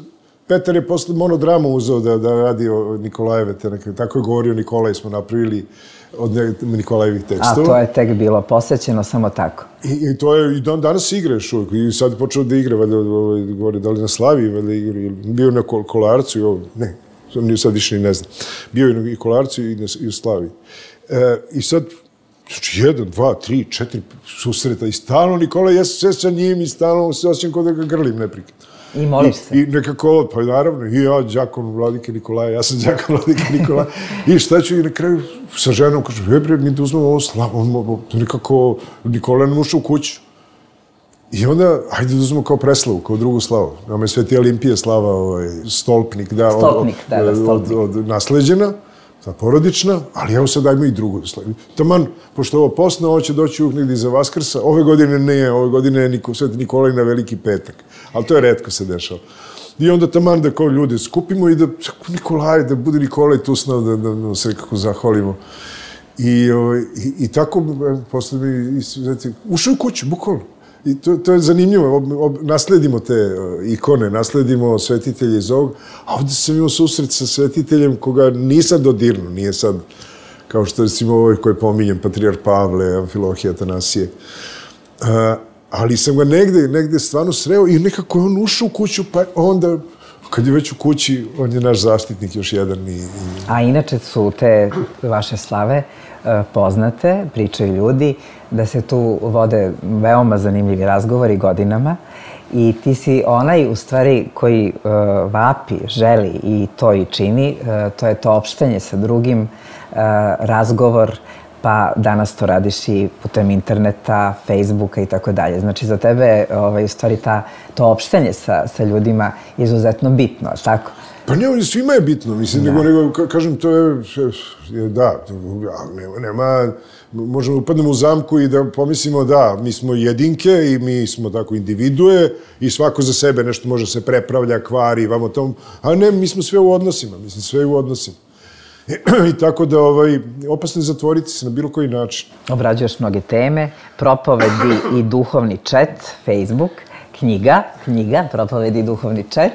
Petar je posle monodramu uzeo da, da radi o Nikolajeve, te neke, tako je govorio Nikolaj, smo napravili od Nikolajevih tekstova. A to je tek bilo posvećeno samo tako. I, i to je, i dan danas igra još uvijek, i sad je počeo da igra, valjda, ovaj, govori, da li na Slavi, valjda igra, ili bio na Kolarcu, i ovo, ne, sad više ni ne znam. Bio je na Kolarcu i, na, i u Slavi. E, I sad, znači, jedan, dva, tri, četiri susreta, i stalno Nikolaj, ja se sve sa njim, i stalno se osjećam kao da ga grlim neprekidno. I moliš se? I, i nekako, pa naravno, i ja, đakon Vladike Nikolaja, ja sam đakon Vladike Nikolaja. I šta ću, i na kraju sa ženom kažu, je bre, mi da uzmemo ovo slavu, on, nekako, Nikola nam ušao u kuću. I onda, hajde da uzmemo kao preslavu, kao drugu slavu. Nama je Sveti Olimpije slava, ovaj, stolpnik, da, stolpnik, od, da, da, stolpnik. Od, od nasleđena, ta porodična, ali evo sad dajmo i drugu slavu. Taman, pošto ovo posno, ovo će doći uvijek negdje iza Vaskrsa, ove godine ne, ove godine je Niko, Sveti Nikolaj na Veliki petak, ali to je retko se dešava. I onda taman da kao ljude skupimo i da Nikolaj, da bude Nikolaj tu s nama, da, da, da se nekako zahvalimo. I, ovaj, i, i tako, posle mi, ušao u kuću, bukvalno. I to, to je zanimljivo, ob, ob, nasledimo te uh, ikone, nasledimo svetitelje iz ovog, a ovdje sam imao susret sa svetiteljem koga nisam dodirnuo, nije sad kao što recimo ovaj koji pominjem, Patrijar Pavle, Amfilohije, Atanasije. Uh, ali sam ga negde, negde stvarno sreo i nekako je on ušao u kuću, pa onda, kad je već u kući, on je naš zaštitnik još jedan. I, i... A inače su te vaše slave poznate, pričaju ljudi, da se tu vode veoma zanimljivi razgovori godinama i ti si onaj, u stvari, koji uh, vapi, želi i to i čini, uh, to je to opštenje sa drugim, uh, razgovor, pa danas to radiš i putem interneta, Facebooka i tako dalje. Znači, za tebe ovaj, u stvari ta, to opštenje sa, sa ljudima je izuzetno bitno, tako? Pa ne, svima je bitno, mislim, nego, nego, kažem, to je, da, nema, nema, možemo upadnemo u zamku i da pomislimo da, mi smo jedinke i mi smo tako individue i svako za sebe nešto može se prepravlja, kvari, vamo tom, a ne, mi smo sve u odnosima, mislim, sve u odnosima. I, i tako da, ovaj, opasno je zatvoriti se na bilo koji način. Obrađuješ mnoge teme, propovedi i duhovni chat, Facebook, knjiga, knjiga, propovedi i duhovni chat.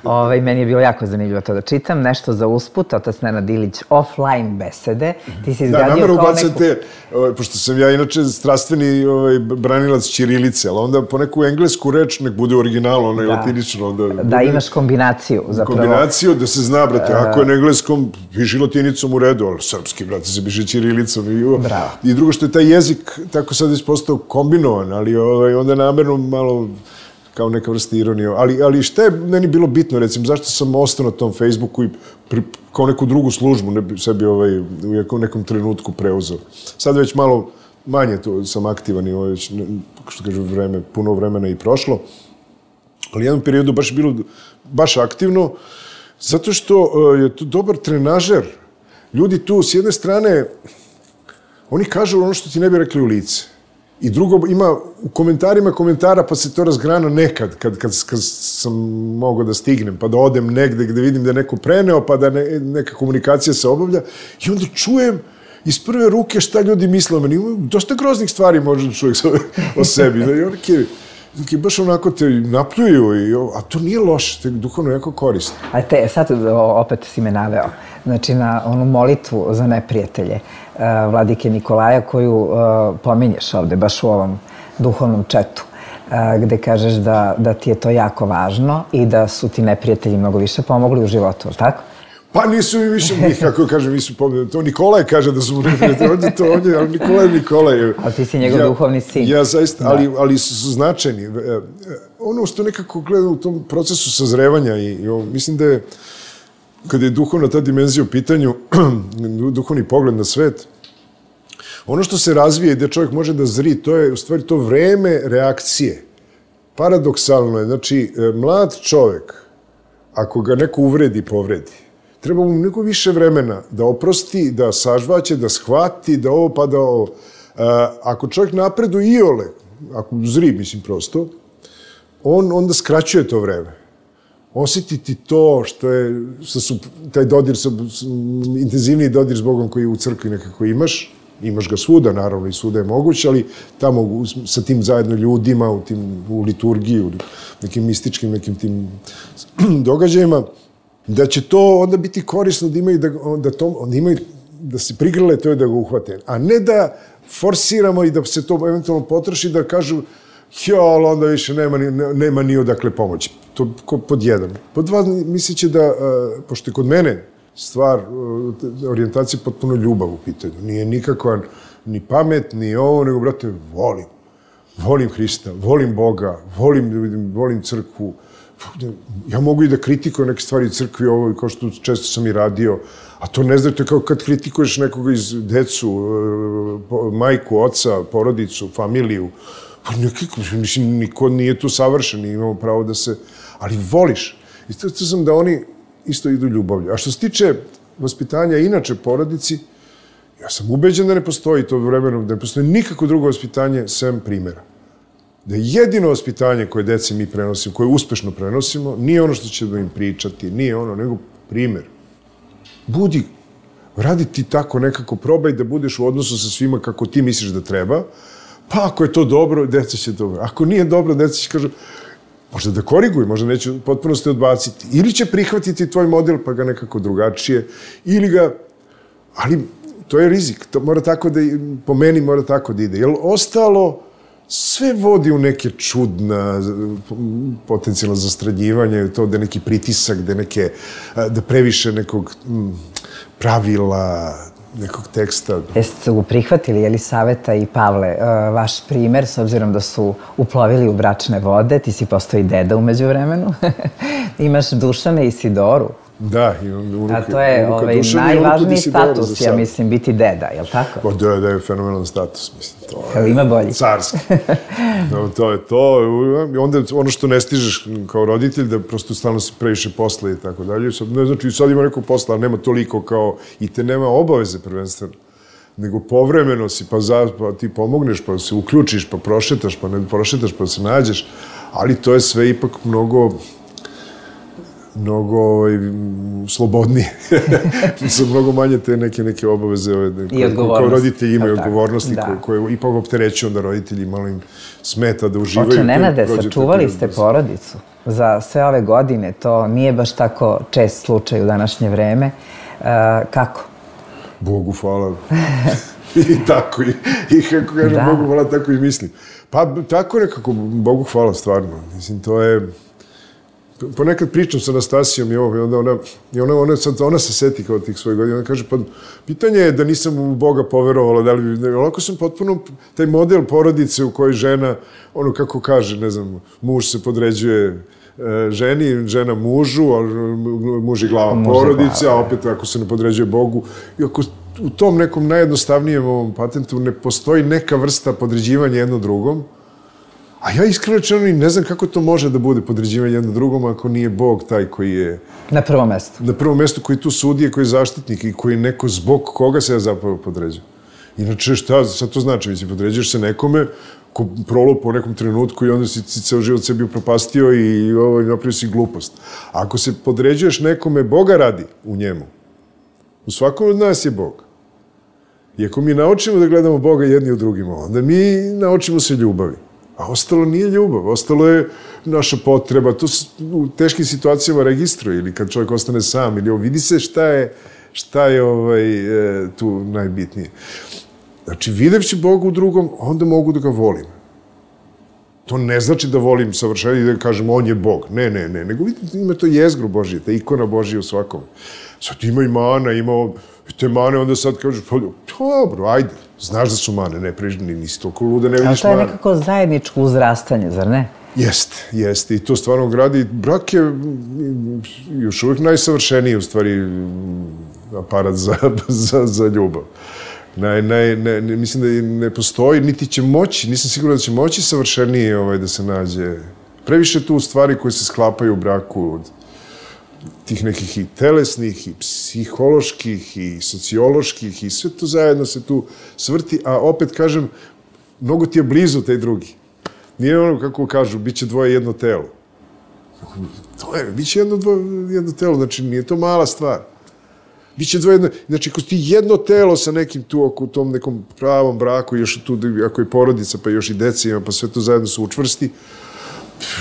Ovaj, meni je bilo jako zanimljivo to da čitam. Nešto za usput, otac Nenad Ilić, offline besede. Ti si izgradio da, namero kao ubacam neku... te, ovaj, pošto sam ja inače strastveni ovaj, branilac ćirilice, ali onda po neku englesku reč nek bude originalno, ono je latinično. Onda da, bude... imaš kombinaciju zapravo. Kombinaciju, da se zna, brate, ako je na engleskom, piši latinicom u redu, ali srpski, brate, se piše ćirilicom. I, Bravo. I drugo što je taj jezik tako sad već postao kombinovan, ali ovaj, onda namerno malo... kao neka vrsta ironije. Ali, ali šta je meni bilo bitno, recimo, zašto sam ostao na tom Facebooku i pri, kao neku drugu službu ne bi sebi ovaj, u nekom trenutku preuzeo. Sad već malo manje to sam aktivan i ovaj, već, što kažem, vreme, puno vremena i prošlo. Ali u jednom periodu baš bilo baš aktivno, zato što uh, je to dobar trenažer. Ljudi tu, s jedne strane, oni kažu ono što ti ne bi rekli u lice. I drugo, ima u komentarima komentara, pa se to razgrana nekad, kad, kad, kad sam mogao da stignem, pa da odem negde gde vidim da je neko preneo, pa da ne, neka komunikacija se obavlja. I onda čujem iz prve ruke šta ljudi misle o meni. Dosta groznih stvari može da čovjek o sebi. I oni ki baš onako te napljuju, i, a to nije loše, to je duhovno jako korisno. A te, sad opet si me naveo, znači na onu molitvu za neprijatelje uh, Vladike Nikolaja koju uh, pominješ ovde, baš u ovom duhovnom četu, uh, gde kažeš da, da ti je to jako važno i da su ti neprijatelji mnogo više pomogli u životu, tako? Pa nisu mi više, kako kažem, nisu pomogli. To Nikolaj kaže da su mu neprijatelji, on je to, on je, ali Nikolaj je Nikolaj. Ali ti si njegov ja, duhovni sin. Ja zaista, ali, ali su značajni. Ono što nekako gledam u tom procesu sazrevanja i, i mislim da je, kada je duhovna ta dimenzija u pitanju, duhovni pogled na svet, ono što se razvije i gde čovjek može da zri, to je u stvari to vreme reakcije. Paradoksalno je, znači, mlad čovjek, ako ga neko uvredi, povredi, treba mu mnogo više vremena da oprosti, da sažvaće, da shvati, da ovo pa da ovo. Ako čovjek napreduje iole, ako zri, mislim prosto, on onda skraćuje to vreme. Osjetiti to što je, što su, taj dodir, sa, intenzivniji dodir s Bogom koji u crkvi nekako imaš, imaš ga svuda, naravno, i svuda je moguće, ali tamo sa tim zajedno ljudima, u, tim, u liturgiji, u nekim mističkim, nekim tim događajima, da će to onda biti korisno da imaju, da, da, to, da, imaju, da se prigrle to i da ga uhvate. A ne da forsiramo i da se to eventualno potroši, da kažu jo, ali onda više nema ni, nema ni odakle pomoći. To pod jedan. Pod dva, misleći da, pošto je kod mene stvar, orijentacija potpuno ljubav u pitanju. Nije nikakva ni pamet, ni ovo, nego, brate, volim. Volim Hrista, volim Boga, volim, volim crkvu, Ja mogu i da kritikujem neke stvari u crkvi, ovo, kao što često sam i radio, a to ne znate kao kad kritikuješ nekoga iz decu, majku, oca, porodicu, familiju, pa nekako, mislim, niko nije tu savršen i imamo pravo da se, ali voliš. I to sam da oni isto idu ljubavlju. A što se tiče vaspitanja inače porodici, ja sam ubeđen da ne postoji to vremenom, da ne postoji nikako drugo vaspitanje sem primjera. Da je jedino vaspitanje koje dece mi prenosimo, koje uspešno prenosimo, nije ono što će da im pričati, nije ono, nego primjer. Budi, radi ti tako nekako, probaj da budeš u odnosu sa svima kako ti misliš da treba, pa ako je to dobro, deca će dobro. Ako nije dobro, deca će kažu, možda da koriguju, možda neće potpuno se odbaciti. Ili će prihvatiti tvoj model, pa ga nekako drugačije, ili ga, ali to je rizik, to mora tako da, po meni mora tako da ide. Jer ostalo, sve vodi u neke čudna, potencijalno zastranjivanje, to da je neki pritisak, da je neke, da previše nekog pravila, nekog teksta. Jeste u prihvatili Jelisaveta i Pavle vaš primer, s obzirom da su uplovili u bračne vode, ti si postao i deda umeđu vremenu, imaš Dušana i Sidoru. Da, imam unuka. A to je ovaj, najvažniji status, ja mislim, biti deda, je li tako? Pa da, da je fenomenalan status, mislim. To je ima bolji. Carski. No, to je to. I onda ono što ne stižeš kao roditelj, da prosto stalno se previše posla i tako dalje. Ne znači, sad ima neko posla, ali nema toliko kao, i te nema obaveze prvenstveno. Nego povremeno si, pa, za, pa ti pomogneš, pa se uključiš, pa prošetaš, pa ne prošetaš, pa se nađeš. Ali to je sve ipak mnogo... mnogo ovaj, slobodnije. Su mnogo manje te neke, neke obaveze koje, koje roditelji imaju, odgovornosti koje, koje ipak opterećuju onda roditelji, malo im smeta da uživaju. Oče Nenade, sačuvali ste porodicu za sve ove godine, to nije baš tako čest slučaj u današnje vreme. Uh, kako? Bogu hvala. I tako, i, i kako kažem, da. Bogu hvala, tako i mislim. Pa tako nekako, Bogu hvala stvarno. Mislim, to je... Ponekad pričam sa Anastasijom i ovo, i onda ona, i ona, ona, sad, ona se seti kao tih svojih godina, ona kaže, pa pitanje je da nisam u Boga poverovala, da li bi, ovako sam potpuno, taj model porodice u kojoj žena, ono kako kaže, ne znam, muž se podređuje e, ženi, žena mužu, a muž je glava porodice, a opet ako se ne podređuje Bogu, i ako u tom nekom najjednostavnijem ovom patentu ne postoji neka vrsta podređivanja jedno drugom, a ja iskreno rečeno ne znam kako to može da bude podređivanje jedno drugom ako nije Bog taj koji je... Na prvom mestu. Na prvom mestu koji tu sudije, koji je zaštitnik i koji je neko zbog koga se ja zapravo podređujem. Inače, šta sad to znači? Mislim, podređuješ se nekome ko prolupa u nekom trenutku i onda si ceo život sebi upropastio i ovo, napravio si glupost. A ako se podređuješ nekome, Boga radi u njemu. U svakom od nas je Bog. I ako mi naučimo da gledamo Boga jedni u drugima, onda mi naučimo se ljubavi. A ostalo nije ljubav, ostalo je naša potreba. To se u teškim situacijama registruje ili kad čovjek ostane sam ili ovo, vidi se šta je, šta je ovaj, e, tu najbitnije. Znači, videvši Boga u drugom, onda mogu da ga volim. To ne znači da volim savršenje i da kažem on je Bog. Ne, ne, ne. Nego vidite, ima to jezgru Božije, ta ikona Božija u svakom. Sad ima i mana, ima te mane, onda sad kažeš, pa dobro, ajde. Znaš da su mane, ne prežni, nisi toliko luda, ne vidiš mane. Ali to je nekako zajedničko uzrastanje, zar ne? Jeste, jeste. I to stvarno gradi. Brak je još uvijek najsavršeniji, u stvari, aparat za, za, za ljubav. Naj, naj, ne, mislim da ne postoji, niti će moći, nisam siguran da će moći savršenije ovaj, da se nađe. Previše tu stvari koje se sklapaju u braku, od tih nekih i telesnih, i psiholoških, i socioloških, i sve to zajedno se tu svrti, a opet kažem, mnogo ti je blizu taj drugi. Nije ono, kako kažu, bit će dvoje jedno telo. To je, bit će jedno, dvoje, jedno telo, znači nije to mala stvar. Biće dvoje jedno, znači ako ti jedno telo sa nekim tu, u tom nekom pravom braku, još tu, ako je porodica, pa još i deca ima, pa sve to zajedno se učvrsti,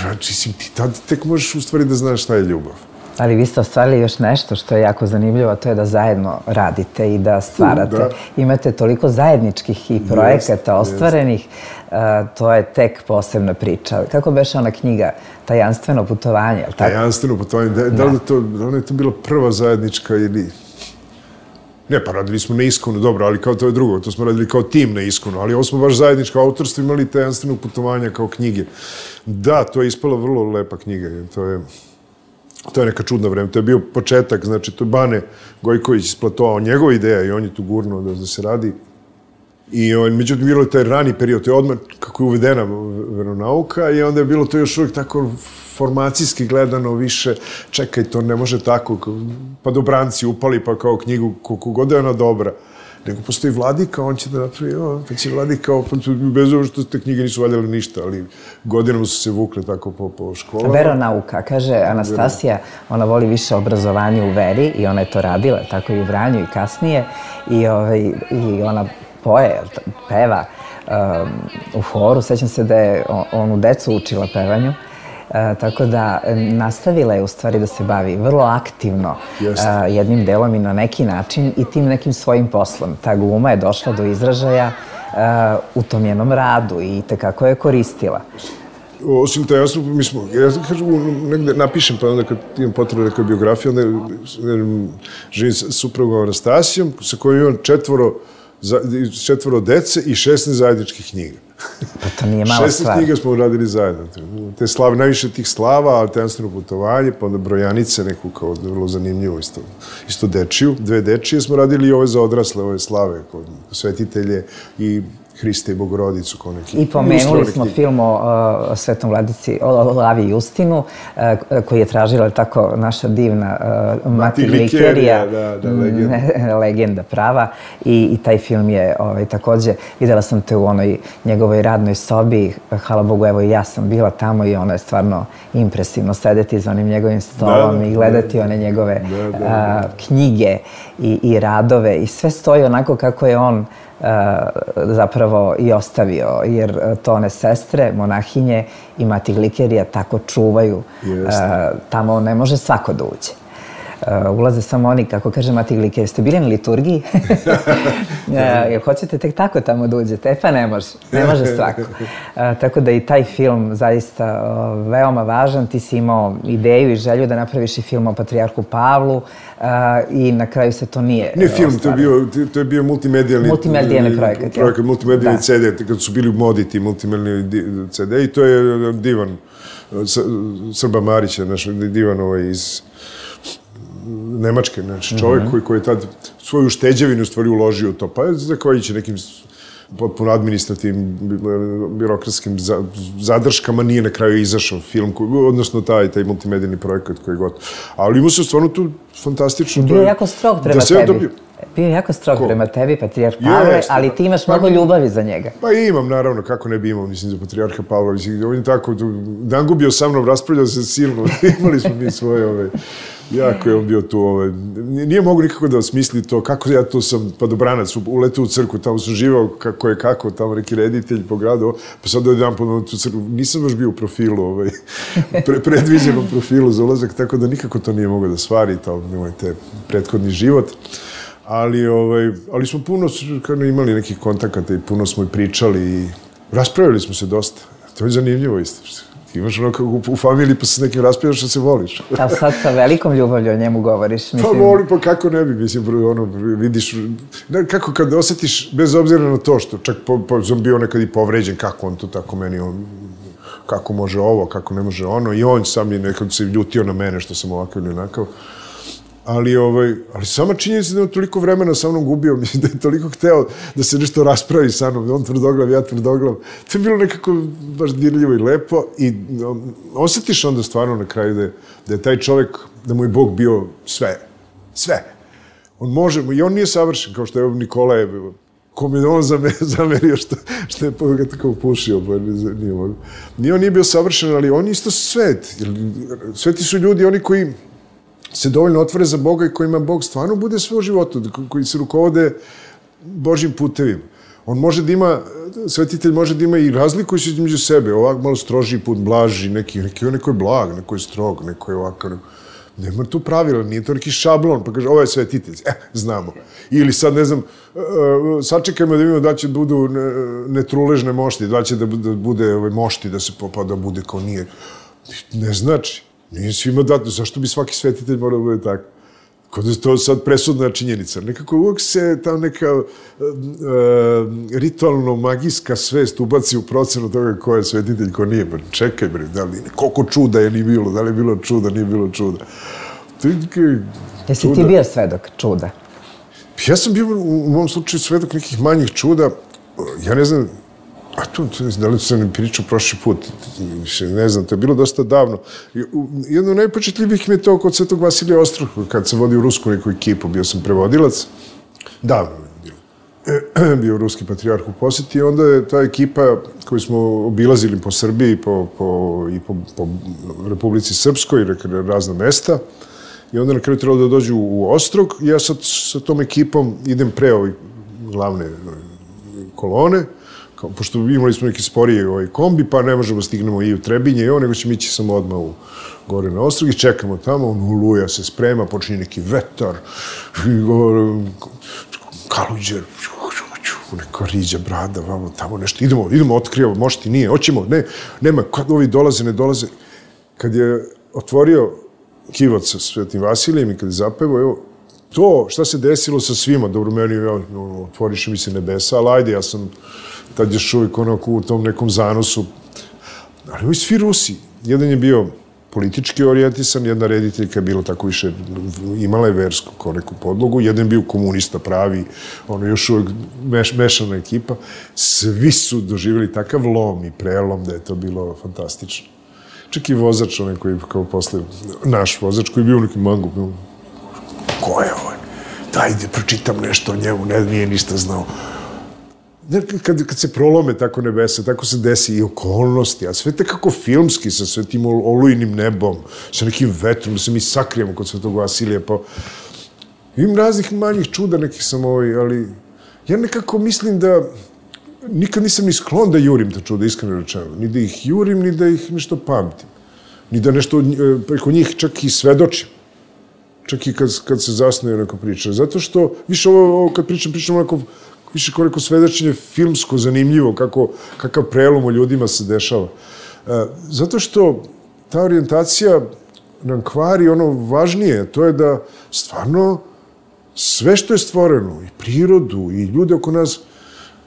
znači ti tad tek možeš u stvari da znaš šta je ljubav. Ali vi ste ostvarili još nešto što je jako zanimljivo, a to je da zajedno radite i da stvarate. Da. Imate toliko zajedničkih i projekata jest, ostvarenih, jest. To je tek posebna priča. Kako beše ona knjiga Tajanstveno putovanje? Tako? Tajanstveno putovanje, da, da, da, li to, da li je to bila prva zajednička ili... Ne, pa radili smo na Iskonu, dobro, ali kao to je drugo, to smo radili kao tim na Iskonu, ali ovo smo baš zajedničko autorstvo imali tajanstvenog putovanja kao knjige. Da, to je ispala vrlo lepa knjiga, to je, to je neka čudna vreme, to je bio početak, znači to je Bane Gojković isplatovao njegova ideja i on je tu gurnuo da, da se radi. I on, međutim, bilo je taj rani period, to je odmah kako je uvedena veronauka i onda je bilo to još uvijek tako formacijski gledano više, čekaj, to ne može tako, pa dobranci upali pa kao knjigu, koliko god je ona dobra. Nego postoji Vladika, on će da napravi, o, pa će Vladika, pa bez ovo što te knjige nisu valjale ništa, ali godinama su se vukle tako po, po školama. Veronauka, kaže Anastasija, ona voli više obrazovanje u veri i ona je to radila, tako i u Vranju i kasnije, i, ovaj, i ona poje, peva um, u horu. Sećam se da je onu decu učila pevanju, uh, tako da nastavila je u stvari da se bavi vrlo aktivno uh, jednim delom i na neki način i tim nekim svojim poslom. Ta gluma je došla do izražaja uh, u tom jednom radu i tekako je koristila. Osim to, ja sam, mi smo, ja kažem, negde napišem, pa onda kad imam potrebu neka biografija, onda živim sa suprugom Anastasijom, sa kojom imam četvoro četvoro dece i šesnaest zajedničkih knjiga. Pa to nije mala stvar. šesnaest knjiga smo uradili zajedno. Te slave, najviše tih slava, tajanstveno putovanje, pa onda brojanice, neku kao vrlo zanimljivu, isto, isto dečiju. Dve dečije smo radili i ove za odrasle, ove slave, kod svetitelje i Hriste i Bogorodicu. Kao neki I pomenuli smo film o uh, Svetom Vladici, o Lavi Justinu, uh, koji je tražila tako naša divna uh, Mati Glikerija, da, da, legenda. legenda prava. I, i taj film je ovaj, takođe, videla sam te u onoj njegovoj radnoj sobi, hvala Bogu, evo i ja sam bila tamo i ono je stvarno impresivno sedeti za onim njegovim stolom da, i gledati da, one njegove da, da, da. Uh, knjige i, i radove i sve stoji onako kako je on Uh, zapravo i ostavio, jer to one sestre, monahinje i Mati Glikerija tako čuvaju. Uh, tamo ne može svako da uđe. Uh, ulaze samo oni, kako kaže Mati Glikerija, ste bili na liturgiji? uh, jer hoćete tek tako tamo da uđete? E pa ne može, ne može svako. Uh, tako da i taj film zaista uh, veoma važan. Ti si imao ideju i želju da napraviš i film o Patrijarhu Pavlu, Uh, i na kraju se to nije Ne film, to je bio, to je bio multimedijalni multimedijalni projekat. Projekat, multimedijalni ce de, kad su bili u modi ti multimedijalni ce de i to je divan Srba Marića, naš divan ovaj iz Nemačke, znači čovjek mm-hmm. koji, koji je tad svoju šteđevinu u stvari uložio u to, pa zahvaljujući nekim potpuno administrativnim, birokratskim zadrškama nije na kraju izašao film, odnosno taj, taj multimedijalni projekat koji je gotov. Ali imao se stvarno tu fantastično... Bio je jako strog prema tebi. Dobio... Bio je jako strog Ko? prema tebi, Patrijarh Pavle, ali ti imaš pa, mnogo ljubavi za njega. Pa imam, naravno, kako ne bi imao, mislim, za Patrijarha Pavla. Mislim, on je tako, Dangubio sa mnom raspravljao se silno, imali smo mi svoje, ove, jako je on bio tu, ove, nije mogu nikako da osmisli to, kako ja to sam, pa dobranac, uletao u crkvu, tamo sam živao kako je kako, tamo neki reditelj po gradu, pa sad dođem po tu crkvu, nisam baš bio u profilu, ovaj, pre, predviđenom profilu za ulazak, tako da nikako to nije mogao da stvari, to je te prethodni život. Ali, ovaj, ali smo puno imali nekih kontakata i puno smo i pričali i raspravili smo se dosta. To je zanimljivo isto. Ti imaš ono kako u familiji pa se s nekim raspravljaš da se voliš. A sad sa velikom ljubavlju o njemu govoriš. Mislim... Pa voli, pa kako ne bi, mislim, ono, vidiš, ne, kako kad osjetiš, bez obzira na to što, čak po, po, sam bio nekad i povređen, kako on to tako meni, on, kako može ovo, kako ne može ono, i on sam je nekad se ljutio na mene što sam ovakav ili onakav. Ali, ovaj, ali sama činjenica da je toliko vremena sa mnom gubio, mislim da je toliko hteo da se nešto raspravi sa mnom, on tvrdoglav, ja tvrdoglav. To je bilo nekako baš dirljivo i lepo i um, osjetiš onda stvarno na kraju da je, da je taj čovjek, da mu je Bog bio sve, sve. On može, i on nije savršen, kao što je Nikola je, kom je on zamerio što, što je ga tako upušio, pa nije mogu. Nije on nije bio savršen, ali on je isto svet. Sveti su ljudi, oni koji se dovoljno otvore za Boga i kojima Bog stvarno bude sve u životu, koji se rukovode Božjim putevima. On može da ima, svetitelj može da ima i razlikuju se između sebe, ovak malo strožiji put, blaži, neki, neki, neko je blag, neko je strog, neko je ovakav. Nema tu pravila, nije to neki šablon, pa kaže, ovo je svetitelj, eh, znamo. Ili sad, ne znam, sačekajmo da vidimo da će budu netruležne mošti, da će da bude ovaj, mošti, da se pa da bude kao nije. Ne znači. Nije svima dato, zašto bi svaki svetitelj morao da bude tako? Kod je to sad presudna činjenica. Nekako uvijek se ta neka uh, uh, ritualno-magijska svest ubaci u procenu toga ko je svetitelj, ko nije. Pa čekaj, bre, da li koliko čuda je ni bilo, da li je bilo čuda, nije bilo čuda. To je Jesi čuda. Ti bio svedok čuda? Ja sam bio u mom slučaju svedok nekih manjih čuda. Ja ne znam, a to, da li sam pričao prošli put, ne znam, to je bilo dosta davno. Jedno od najpočetljivih mi je to kod Svetog Vasilija Ostroga, kad sam vodio rusku neku ekipu, bio sam prevodilac. Davno je bilo. Bio ruski patrijarh u posjeti i onda je ta ekipa koju smo obilazili po Srbiji po, po, i po, po Republici Srpskoj, razna mesta, i onda na kraju trebalo da dođu u Ostrog. Ja sad sa tom ekipom idem pre ovih glavne kolone, kao, pošto imali smo neki sporiji ovaj kombi, pa ne možemo stignemo i u Trebinje i ovo, nego ćemo ići samo odmah u gore na Ostrog i čekamo tamo, on uluja se sprema, počinje neki vetar, kaluđer, neka riđa, brada, vamo, tamo nešto, idemo, idemo, otkrivamo, može ti, nije, hoćemo, ne, nema, kad ovi dolaze, ne dolaze. Kad je otvorio kivac sa Svetim Vasilijem i kad je zapevao, evo, to šta se desilo sa svima, dobro, meni, ja, otvoriše mi se nebesa, ali ajde, ja sam tad još uvijek onako u tom nekom zanosu. Ali ovi svi Rusi, jedan je bio politički orijentisan, jedna rediteljka je bila tako više, imala je versku kao neku podlogu, jedan je bio komunista pravi, ono još uvijek meš, mešana ekipa. Svi su doživjeli takav lom i prelom da je to bilo fantastično. Čak i vozač, onaj koji kao posle, naš vozač koji je bio u nekim mangu, ko je ovaj? Daj, da pročitam nešto o njemu, ne, nije ništa znao. Kad, kad se prolome tako nebesa, tako se desi i okolnosti, a sve tako filmski, sa sve tim olujnim nebom, sa nekim vetrom, da se mi sakrijemo kod Svetog Vasilija, pa imam raznih manjih čuda nekih sam ovaj, ali ja nekako mislim da nikad nisam ni sklon da jurim ta čuda, iskreno rečeno. Ni da ih jurim, ni da ih nešto pamtim. Ni da nešto preko njih čak i svedočim. Čak i kad, kad se zasnuje neka priča. Zato što, više ovo, ovo kad pričam, pričam onako, više kao neko svedočenje filmsko, zanimljivo, kako, kakav prelom u ljudima se dešava. E, zato što ta orijentacija nam kvari ono važnije, to je da stvarno sve što je stvoreno, i prirodu, i ljude oko nas,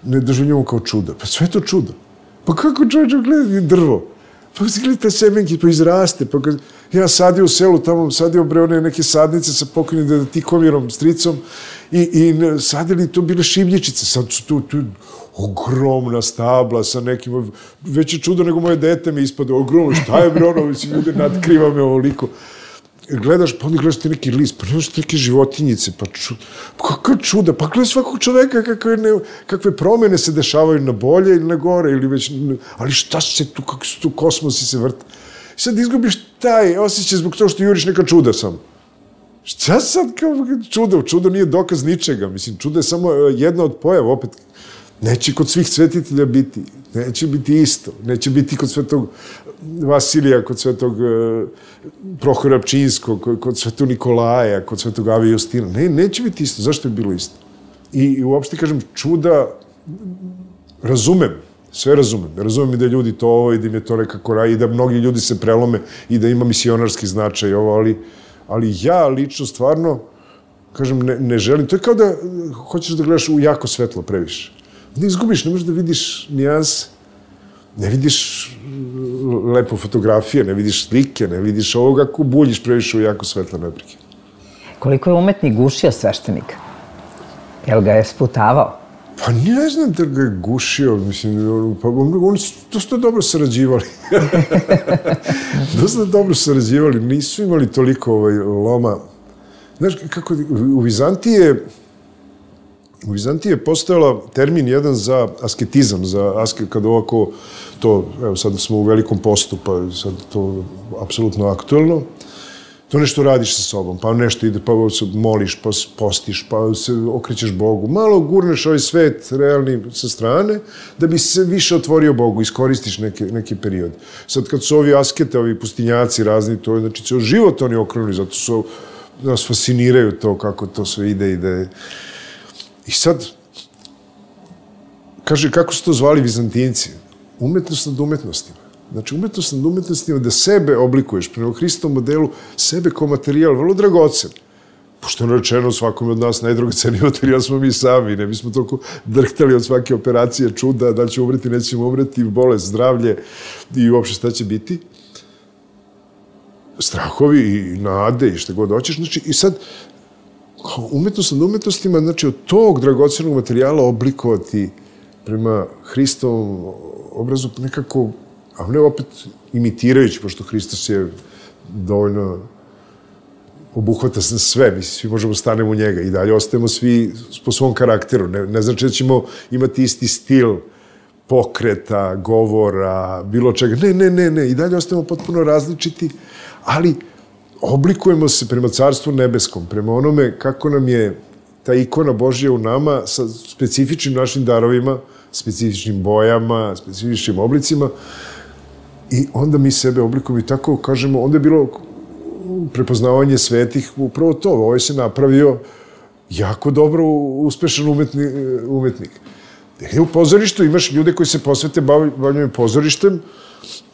ne doživljamo kao čuda. Pa sve to čudo. Pa kako čovječe gleda drvo? Pa gledajte semenke, pa izraste. Pa kad ja sadio u selu, tamo sadio bre one neke sadnice sa pokojnim Tikomirom, stricom, i, i sadili to bile šivljičice. Sad su tu, tu ogromna stabla sa nekim, veće čudo nego moje dete mi ispade. Ogromno, šta je bre ono, mislim, ljude nadkriva me ovoliko. Gledaš, pa onda gledaš ti neki list, pa gledaš ti neke životinjice, pa ču, pa kakva čuda, pa gledaš svakog čoveka kakve, ne, kakve promene se dešavaju na bolje ili na gore, ili već, ali šta se tu, kako su tu kosmosi se vrte. I sad izgubiš taj osjećaj zbog toga što juriš neka čuda samo. Šta sad kao čudo? Čudo nije dokaz ničega, mislim, čudo je samo jedna od pojava, opet, neće kod svih svetitelja biti, neće biti isto, neće biti kod Svetog Vasilija, kod Svetog Prohora Pčinskog, kod Svetog Nikolaja, kod Svetog Ave Justina. Ne, neće biti isto. Zašto je bilo isto? I, i uopšte, kažem, čuda razumem, sve razumem. Razumem i da ljudi to ovo i da im je to nekako raj, i da mnogi ljudi se prelome i da ima misionarski značaj ovo, ali, ali ja lično stvarno, kažem, ne, ne želim. To je kao da hoćeš da gledaš u jako svetlo previše. Ne izgubiš, ne možeš da vidiš nijanse, ne vidiš lepo fotografije, ne vidiš slike, ne vidiš ovoga kako buljiš previše u jako svetle neprike. Koliko je umetnik gušio sveštenika? Jel ga je sputavao? Pa ne znam da ga je gušio, mislim, pa oni su dosta dobro sarađivali. Dosta dobro sarađivali, nisu imali toliko ovaj, loma. Znaš, kako, u Vizantiji je U Vizantiji je postojala termin jedan za asketizam, za aske, kada ovako to, evo sad smo u velikom postu, pa sad to apsolutno aktuelno, to nešto radiš sa sobom, pa nešto ide, pa se moliš, pa postiš, pa se okrećeš Bogu, malo gurneš ovaj svet realni sa strane, da bi se više otvorio Bogu, iskoristiš neki, neki period. Sad kad su ovi askete, ovi pustinjaci razni, to je, znači, ceo život oni okrenuli, zato su, nas fasciniraju to, kako to sve ide i da je. I sad, kaže, kako su to zvali Vizantinci? Umetnost nad umetnostima. Znači, umetnost nad umetnostima da sebe oblikuješ prema Hristovom modelu, sebe kao materijal, vrlo dragocen. pošto je rečeno svakome od nas najdragoceniji materijal smo mi sami, ne bismo toliko drhtali od svake operacije, čuda, da li će umreti, nećemo umreti, bolest, zdravlje i uopšte šta će biti. Strahovi i nade i šta god hoćeš, znači i sad umetnost nad umetnostima, znači od tog dragocenog materijala oblikovati prema Hristovom obrazu nekako, a ne opet imitirajući, pošto Hristos je dovoljno obuhvata sve, mislim, svi možemo stanemo u njega i dalje ostajemo svi po svom karakteru. Ne, ne znači da ćemo imati isti stil pokreta, govora, bilo čega. Ne, ne, ne, ne. I dalje ostajemo potpuno različiti, ali oblikujemo se prema Carstvu nebeskom, prema onome kako nam je ta ikona Božja u nama sa specifičnim našim darovima, specifičnim bojama, specifičnim oblicima i onda mi sebe oblikujemo i tako kažemo, onda je bilo prepoznavanje svetih, upravo to, ovaj se napravio jako dobro uspešan umetni, umetnik. U pozorištu imaš ljude koji se posvete bavljanjem pozorištem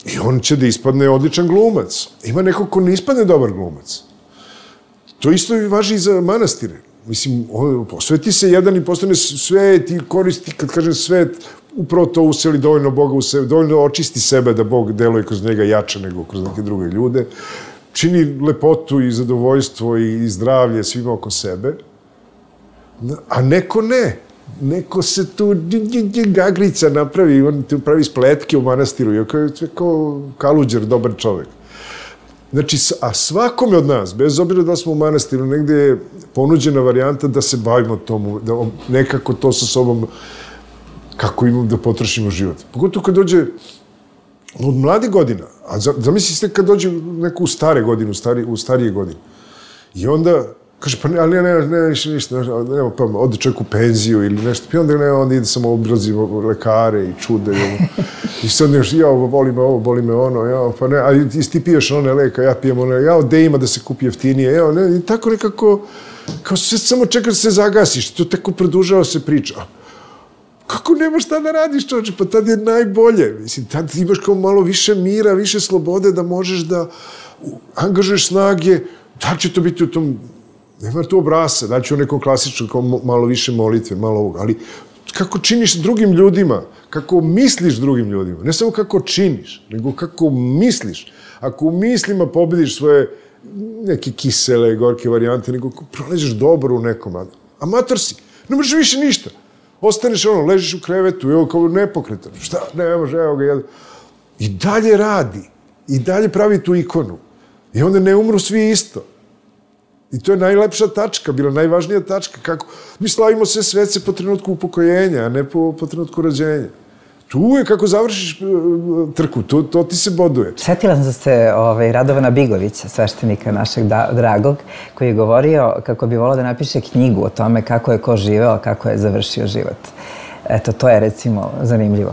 i on će da ispadne odličan glumac. Ima neko ko ne ispadne dobar glumac. To isto važi i za manastire. Mislim, on posveti se jedan i postane svet i koristi, kad kažem svet, upravo to useli dovoljno Boga u sebe, dovoljno očisti sebe da Bog deluje kroz njega jače nego kroz neke druge ljude. Čini lepotu i zadovoljstvo i zdravlje svima oko sebe, a neko ne. Neko se tu gagrica napravi, on tu pravi spletke u manastiru, iako je kao Kaluđer, dobar čovek. Znači, a svakome od nas, bez obzira da smo u manastiru, negde je ponuđena varijanta da se bavimo tomu, da nekako to sa sobom, kako imamo da potrošimo život. Pogotovo kad dođe od mladih godina, a zamislite kad dođe neko u stare godine, u, stari, u starije godine. I onda kaže, pa ne, ali ne, ne, ne, više ništa, nema, pa ode čovjek u penziju ili nešto, pa onda ne, onda ide samo obrazi lekare i čude. I, i sad nešto, ja, voli me ovo, boli me ono, ja, pa ne, a ti piješ one leka, ja pijem one, ja, gde ima da se kupi jeftinije, ja, ne, i tako nekako, kao sve samo čeka da se zagasiš, to tako produžava se priča. Kako nemaš šta da radiš, čovječe, pa tad je najbolje. Mislim, tad imaš kao malo više mira, više slobode da možeš da angažuješ snage, da će to biti u tom, nema tu obrasa, da će u nekom klasičnom, kao malo više molitve, malo ovoga, ali kako činiš drugim ljudima, kako misliš drugim ljudima, ne samo kako činiš, nego kako misliš. Ako u mislima pobediš svoje neke kisele, gorke varijante, nego proleđeš dobro u nekom, amator si, ne možeš više ništa. Ostaneš ono, ležiš u krevetu, evo kao nepokretan, šta, ne može, evo ga, i dalje radi, i dalje pravi tu ikonu. I onda ne umru svi isto. I to je najlepša tačka, bila najvažnija tačka, kako mi slavimo sve svece po trenutku upokojenja, a ne po, po trenutku rođenja. Tu je kako završiš trku, to, to ti se boduje. Sjetila sam se ovaj, Radovana Bigovića, sveštenika našeg da, dragog, koji je govorio kako bi volao da napiše knjigu o tome kako je ko živeo, kako je završio život. Eto, to je recimo zanimljivo.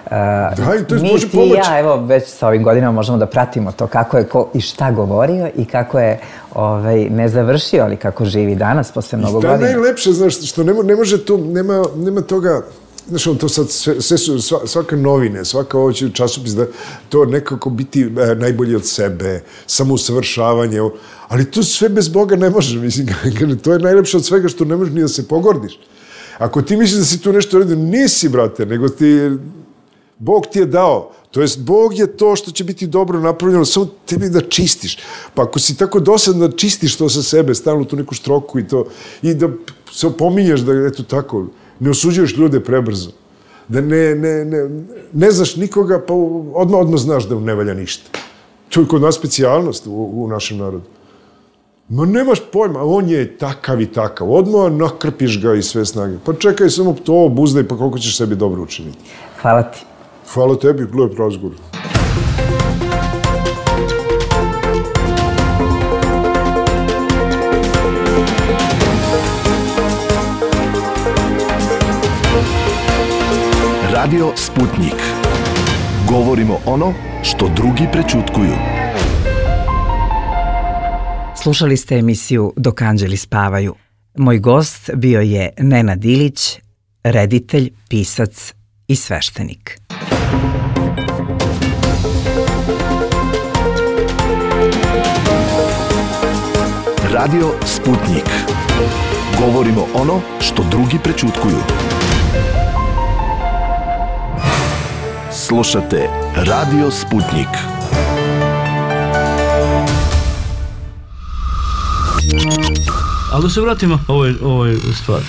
Uh, da, i to je mi, Bože ti pomoć. i ja, evo, već sa ovim godinama možemo da pratimo to kako je ko i šta govorio i kako je ovaj, ne završio, ali kako živi danas posle mnogo godina. I to je najlepše, znaš, što ne, ne može to, nema, nema toga. Znaš, to sad sve, sve su, svaka novine, svaka ovo će časopis da to nekako biti e, najbolje od sebe, samousavršavanje, ali to sve bez Boga ne može, mislim, to je najlepše od svega što ne možeš ni da se pogordiš. Ako ti misliš da si tu nešto uradio, nisi, brate, nego ti, Bog ti je dao, to jest Bog je to što će biti dobro napravljeno, samo tebi da čistiš. Pa ako si tako dosadno da čistiš to sa sebe, stalno tu neku stroku i to, i da se opominješ da, eto tako, ne osuđuješ ljude prebrzo, da ne, ne, ne, ne znaš nikoga, pa odmah, odmah znaš da ne valja ništa. To je kod nas specijalnost u, u našem narodu. Ma nemaš pojma, on je takav i takav, odmah nakrpiš ga i sve snage. Pa čekaj, samo to obuzdaj, pa koliko ćeš sebi dobro učiniti. Hvala ti. Hvala tebi, lep razgovor. Radio Sputnik. Govorimo ono što drugi prećutkuju. Slušali ste emisiju Dok anđeli spavaju. Moj gost bio je Nenad Ilić, reditelj, pisac i sveštenik. Radio Sputnik. Govorimo ono što drugi prećutkuju. Slušate Radio Sputnik. Ali da se vratimo ovoj, ovoj stvari.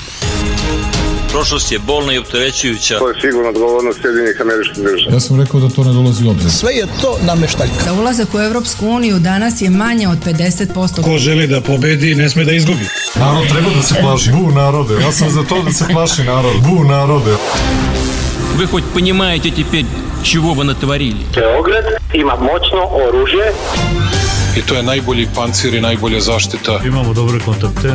Prošlost je bolna i opterećujuća. To je sigurno odgovornost Sjedinjenih Američkih Država. Ja sam rekao da to ne dolazi u obzir. Sve je to nameštaljka. Za ulazak u Evropsku uniju danas je manje od pedeset posto. Ko želi da pobedi, ne sme da izgubi. Narod treba da se plaši. Bu narode. Ja sam za to da se plaši narod. Bu narode. Вы хоть понимаете теперь, чего вы натворили? Beograd ima moćno oružje. I to je najbolji pancir i najbolja zaštita. Imamo dobre kontakte.